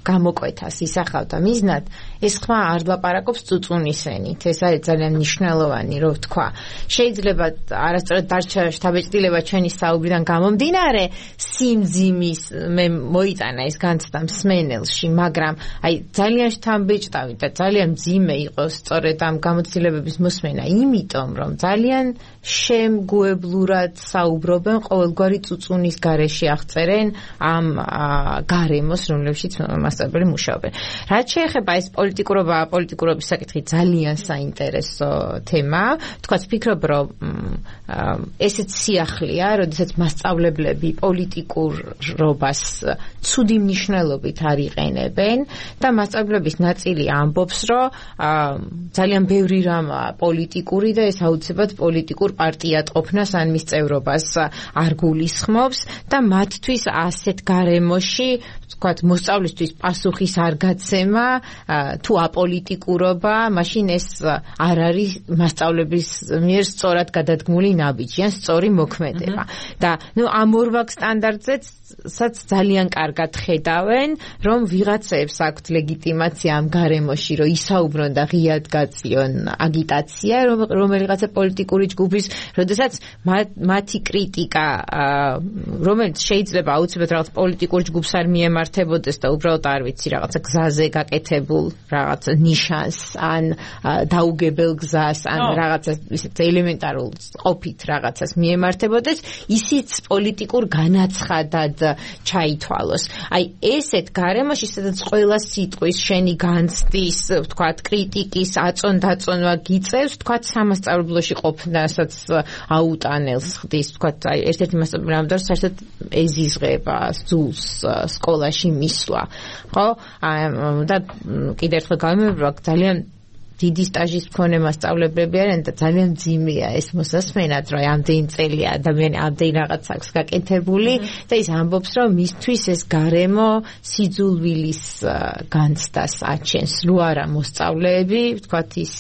გამოკვეთას ისახავდა მიზნად, ეს ხმა არ ლაპარაკობს წუწუნისენით. ეს არის ძალიან მნიშვნელოვანი, რომ ვთქვა. შეიძლება არასწორად დარჩა შთაბეჭდილება ჩვენი საუბრიდან გამომდინარე, სიმძიმის მე მოიტანა ეს განცდა მსმენელში, მაგრამ აი ძალიან შთამბეჭდავი და ძალიან მძიმე იყოს სწორედ ამ გამოცდილებების მოსმენა, იმიტომ რომ ძალიან შემგუებლურად საუბრობენ ყოველგვარი წუწუნის გარეშე აღწერენ ამ გარემოს, რომლებშიც მასწავლებლები მუშაობენ. რაც შეეხება ეს პოლიტიკურობის საკითხი ძალიან საინტერესო თემაა. თქვაც ვფიქრობ, რომ ესეც სიახლეა, როდესაც მასწავლებლები პოლიტიკურობას ცუდი მნიშვნელობით არ იყენებენ და მასწავლებლების ნაწილი ამბობს, რომ ძალიან ბევრი რამაა პოლიტიკური და ეს აუცილებლად პოლიტიკურ პარტიატყოფნას ან მის წევრობას არ გულისხმობს და მათთვის ასეთ გარემოში ვთქვათ, მოსწავლისთვის პასუხის არ გაცემა თუ აპოლიტიკურობა, მაშინ ეს არ არის მასწავლების მიერ სწორად გადადგმული ნაბიჯი ან სწორი მოქმედება. და ამ ორ სტანდარტზეც ძალიან კარგად ხედავენ, რომ ვიღაცებს აქვთ ლეგიტიმაცია ამ გარემოში, რომ ისაუბრონ და ღიად გაწიონ აგიტაცია რომელიღაცა პოლიტიკური ჯგუფის, როდესაც მათი კრიტიკა, რომელიც შეიძლება აუცილებლად რაღაც პოლიტიკურ ჯგუფს არ მიემართებოდეს და უბრალოდ არ ვიცი, რაღაცა გზაზე გაკეთებულ რაღაც ნიშანს ან დაუგებელ გზას ან რაღაცა ისეთ ელემენტარულ ყოფით რაღაცას მიემართებოდეს, ისიც პოლიტიკურ განაცხადად ჩაითვალოს. აი ესეთ გარემოში, სადაც ყველა სიტყვის შენი განცდის, ვთქვათ, კრიტიკის აწონ-დაწონვა გიწევს, ვთქვათ, სამასწავლებლოში ყოფნასაც აუტანელს ხდის, ვთქვათ, აი ერთ-ერთი მასწავლებელი ამბობს, საერთოდ ეზიზღება სძულს სკოლაში მისვლა. ხო? და კიდევ ერთხელ გამიმეორებ, ძალიან დიდი სტაჟის მქონე მასწავლებლები არიან და ძალიან მძიმეა ეს მოსასმენად, რომ ამდენი წელი ადამიანი ამდენი რაღაც აქვს გაკეთებული და ის ამბობს, რომ მისთვის ეს გარემო სიძულვილის განცდას აჩენს, რო არა მოსწავლეები, ვთქვათ, ის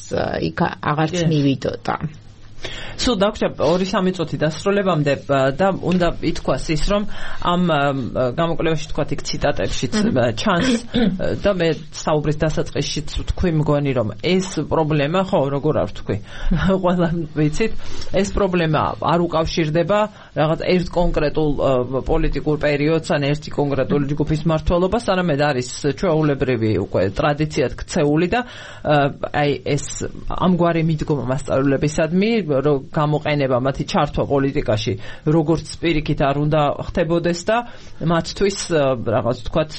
იქ აღარც მივიდოდა. სულ დაგვრჩა 2-3 წუთი დასრულებამდე და უნდა ითქვას ის, რომ ამ გამოკვლევაში თქვათ იქ ციტატებშიც ჩანს და მე საუბრის დასაწყისშიც ვთქვი მგონი, რომ ეს პრობლემა, ხო, როგორ არ ვთქვი, ყველა ვიცით, ეს პრობლემა არ უკავშირდება რაღაც ერთ კონკრეტულ პოლიტიკურ პერიოდს ან ერთი კონკრეტული ჯგუფის მმართველობას, არამედ არის ჩვეულებრივი უკვე ტრადიციად ქცეული და აი ეს ამგვარი მიდგომა მასწავლებლებისადმი, რომ გამოყენება მათი ჩართვა პოლიტიკაში როგორც პირიქით არ უნდა ხდებოდეს და მათთვის რაღაც თქვათ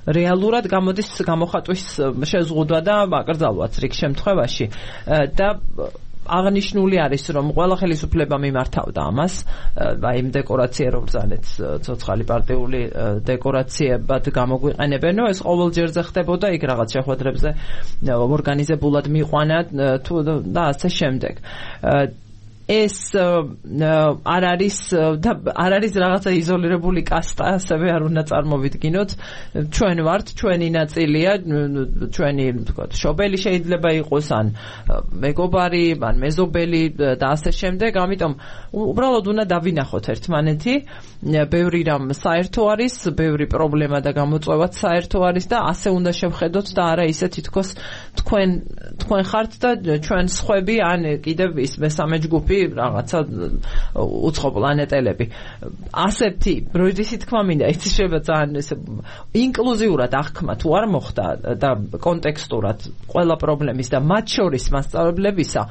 რეალურად გამოდის გამოხატვის შეზღუდვა და აკრძალვაც რიგ შემთხვევაში და აღნიშნული არის, რომ ყველა ხელისუფლება მიმართავდა ამას, აი იმ დეკორაცია რომ ბრძანეთ ცოცხალი პარტიული დეკორაციებად გამოგვიყენებენ, ეს ყოველ ჯერზე ხდებოდა, იქ რაღაც შეხვედრებზე ორგანიზებულად მიყვანა თუ და ასე შემდეგ. ეს არ არის რაღაცა იზოლირებული კასტა, ასევე არ უნდა წარმოვიდგინოთ. ჩვენ ვართ, ჩვენი ნაწილია, ჩვენი ვთქვათ, შობელი შეიძლება იყოს ან მეგობარი, ან მეზობელი და ასე შემდეგ. ამიტომ უბრალოდ უნდა დავინახოთ ერთმანეთი. ბევრი რამ საერთო არის, ბევრი პრობლემა და გამოწვევაც საერთო არის და ასე უნდა შევხედოთ და არა ისე თითქოს თქვენ ხართ და ჩვენ სხვები ან კიდევ ის მესამე ჯგუფი კოსმოსები, რაღაცა უცხო პლანეტელები. ასეთი როდესაც თქმა მინდა, იცი შეიძლება ძალიან ესე ინკლუზიურად აღქმა თუ არ მოხდა და კონტექსტურად ყველა პრობლემის და მათ შორის მასწავლებლებისა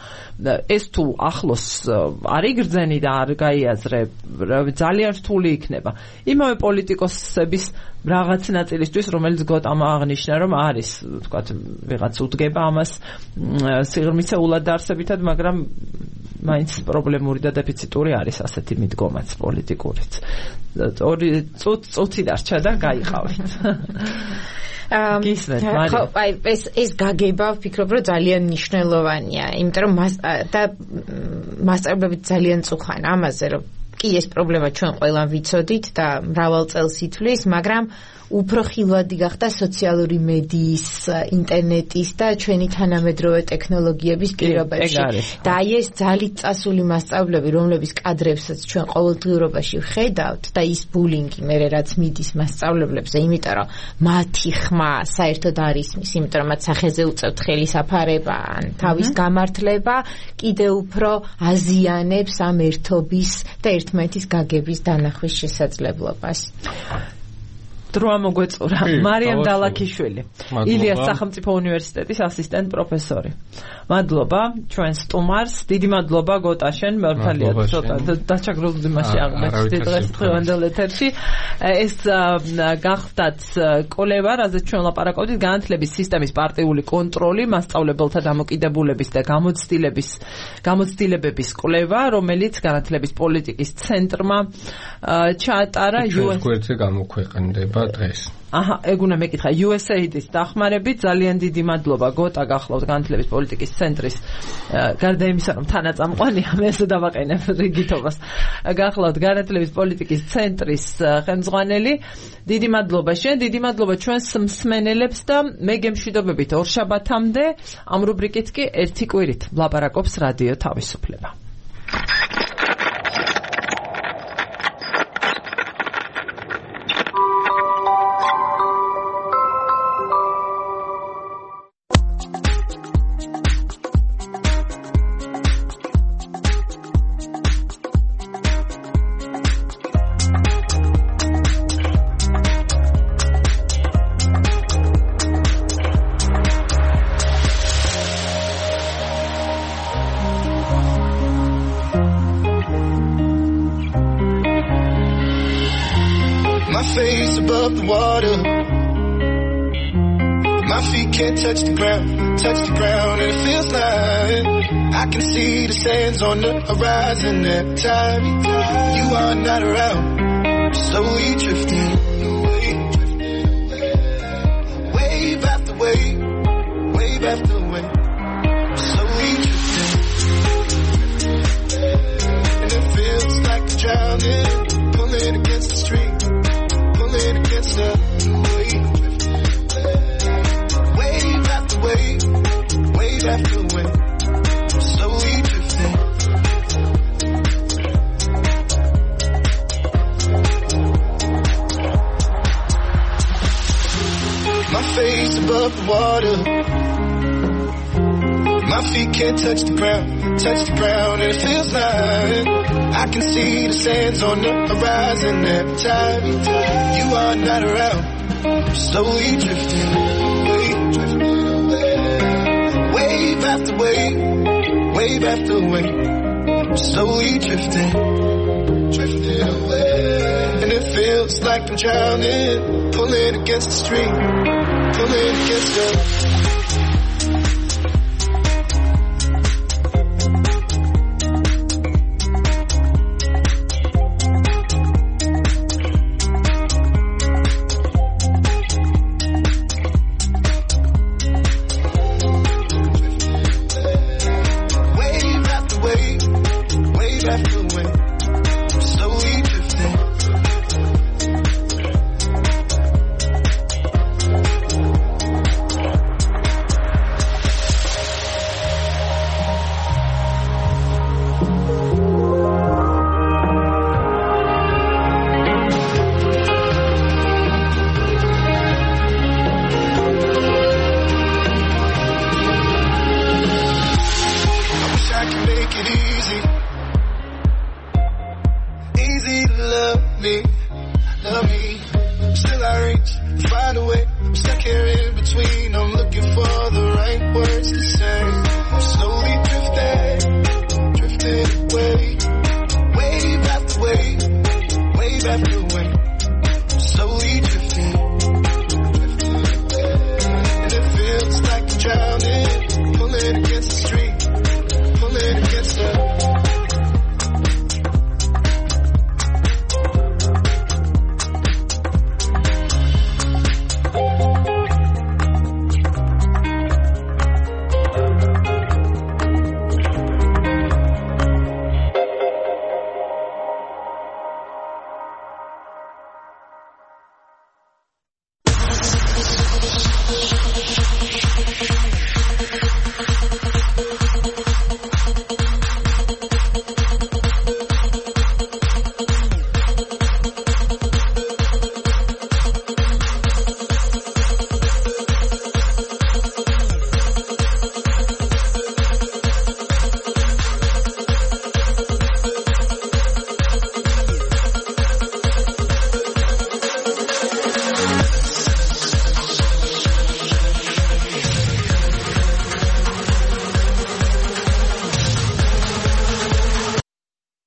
ეს თუ ახლოს არ იგრძენი და არ გაიაზრე, ძალიან რთული იქნება. იმავე პოლიტიკოსების რაღაც ნაწილისთვის, რომელიც გოტამა აღნიშნა, რომ არის, ვთქვათ, ვიღაც უდგება ამას სიღრმისეულად არსებითად, მაგრამ მაინც პრობლემური და დეფიციტური არის ასეთი მიდგომაც პოლიტიკურიც. ორი წუთი დარჩა და გაიყავით. გისმენთ, მარია. ხო, აი ეს გაგება ვფიქრობ, რომ ძალიან მნიშვნელოვანია, იმიტომ რომ მასწავლებლები ძალიან წუხან ამაზე, რომ კი ეს პრობლემა ჩვენ ყველამ ვიცოდით და მრავალ წელს ითვლის, მაგრამ უფრო ხილვადი გახდა სოციალური მედიის, ინტერნეტის და ჩვენი თანამედროვე ტექნოლოგიების პირობებში. და აი ეს ძალით წასული მასწავლებლები, რომლების კადრებსაც ჩვენ ყოველდღიურობაში ვხედავთ და ის ბულინგი მერე რაც მიდის მასწავლებლებზე, იმიტომ რომ მათი ხმა საერთოდ არ ისმის, იმიტომ რომ მათ სახეზე უწევთ ხელისაფარება ან თავის გამართლება, კიდევ უფრო აზიანებს ამ ერთობის და ერთმანეთის გაგების დანახვის შესაძლებლობას. დროა მოგვეწურა მარიამ დალაქიშვილი, ილიას სახელმწიფო უნივერსიტეტის ასისტენტ პროფესორი. მადლობა ჩვენ სტუმარს, დიდი მადლობა გოტაშენ, მართალია ცოტა დაჩაგრული მასში აღმოჩნდა დღეს დღევანდელ ეთერში. ეს გახდათ კოლევა, რაზეც ჩვენ ლაპარაკობდით, განათლების სისტემის პარტიული კონტროლი, მასწავლებელთა დამოკიდებულების და გამოცდილებების კვლევა, რომელიც განათლების პოლიტიკის ცენტრმა ჩაატარა UN-ს გვერდზე გამოქვეყნდება დღეს. აჰა, ეგ უნდა მეკითხა USAID-ის დახმარებით. ძალიან დიდი მადლობა გოტა, გახლავთ განათლების პოლიტიკის ცენტრის გარდა იმისა, რომ თანაწამყვანია, მე ესე დავაყენებ რიგითობას. გახლავთ განათლების პოლიტიკის ცენტრის ხელმძღვანელი. დიდი მადლობა შენ, დიდი მადლობა ჩვენს მსმენელებს და მე გემშვიდობებით ორშაბათამდე. ამ რუბრიკით კი ერთი კვირით ლაპარაკობს რადიო თავისუფლება. Touch the ground, and it feels like I can see the sands on the horizon every time you are not around. Slowly drifting away, wave after wave, wave after wave. Slowly drifting, and it feels like I'm drowning, pulling against the stream, pulling against the wave. Wave after wave, slowly drifting. My face above the water, my feet can't touch the ground, and it feels like I can see the sands on the horizon every time you are not around. Slowly drifting away, wave after wave, wave after wave, slowly drifting away. And it feels like I'm drowning, pulling against the stream, pulling against the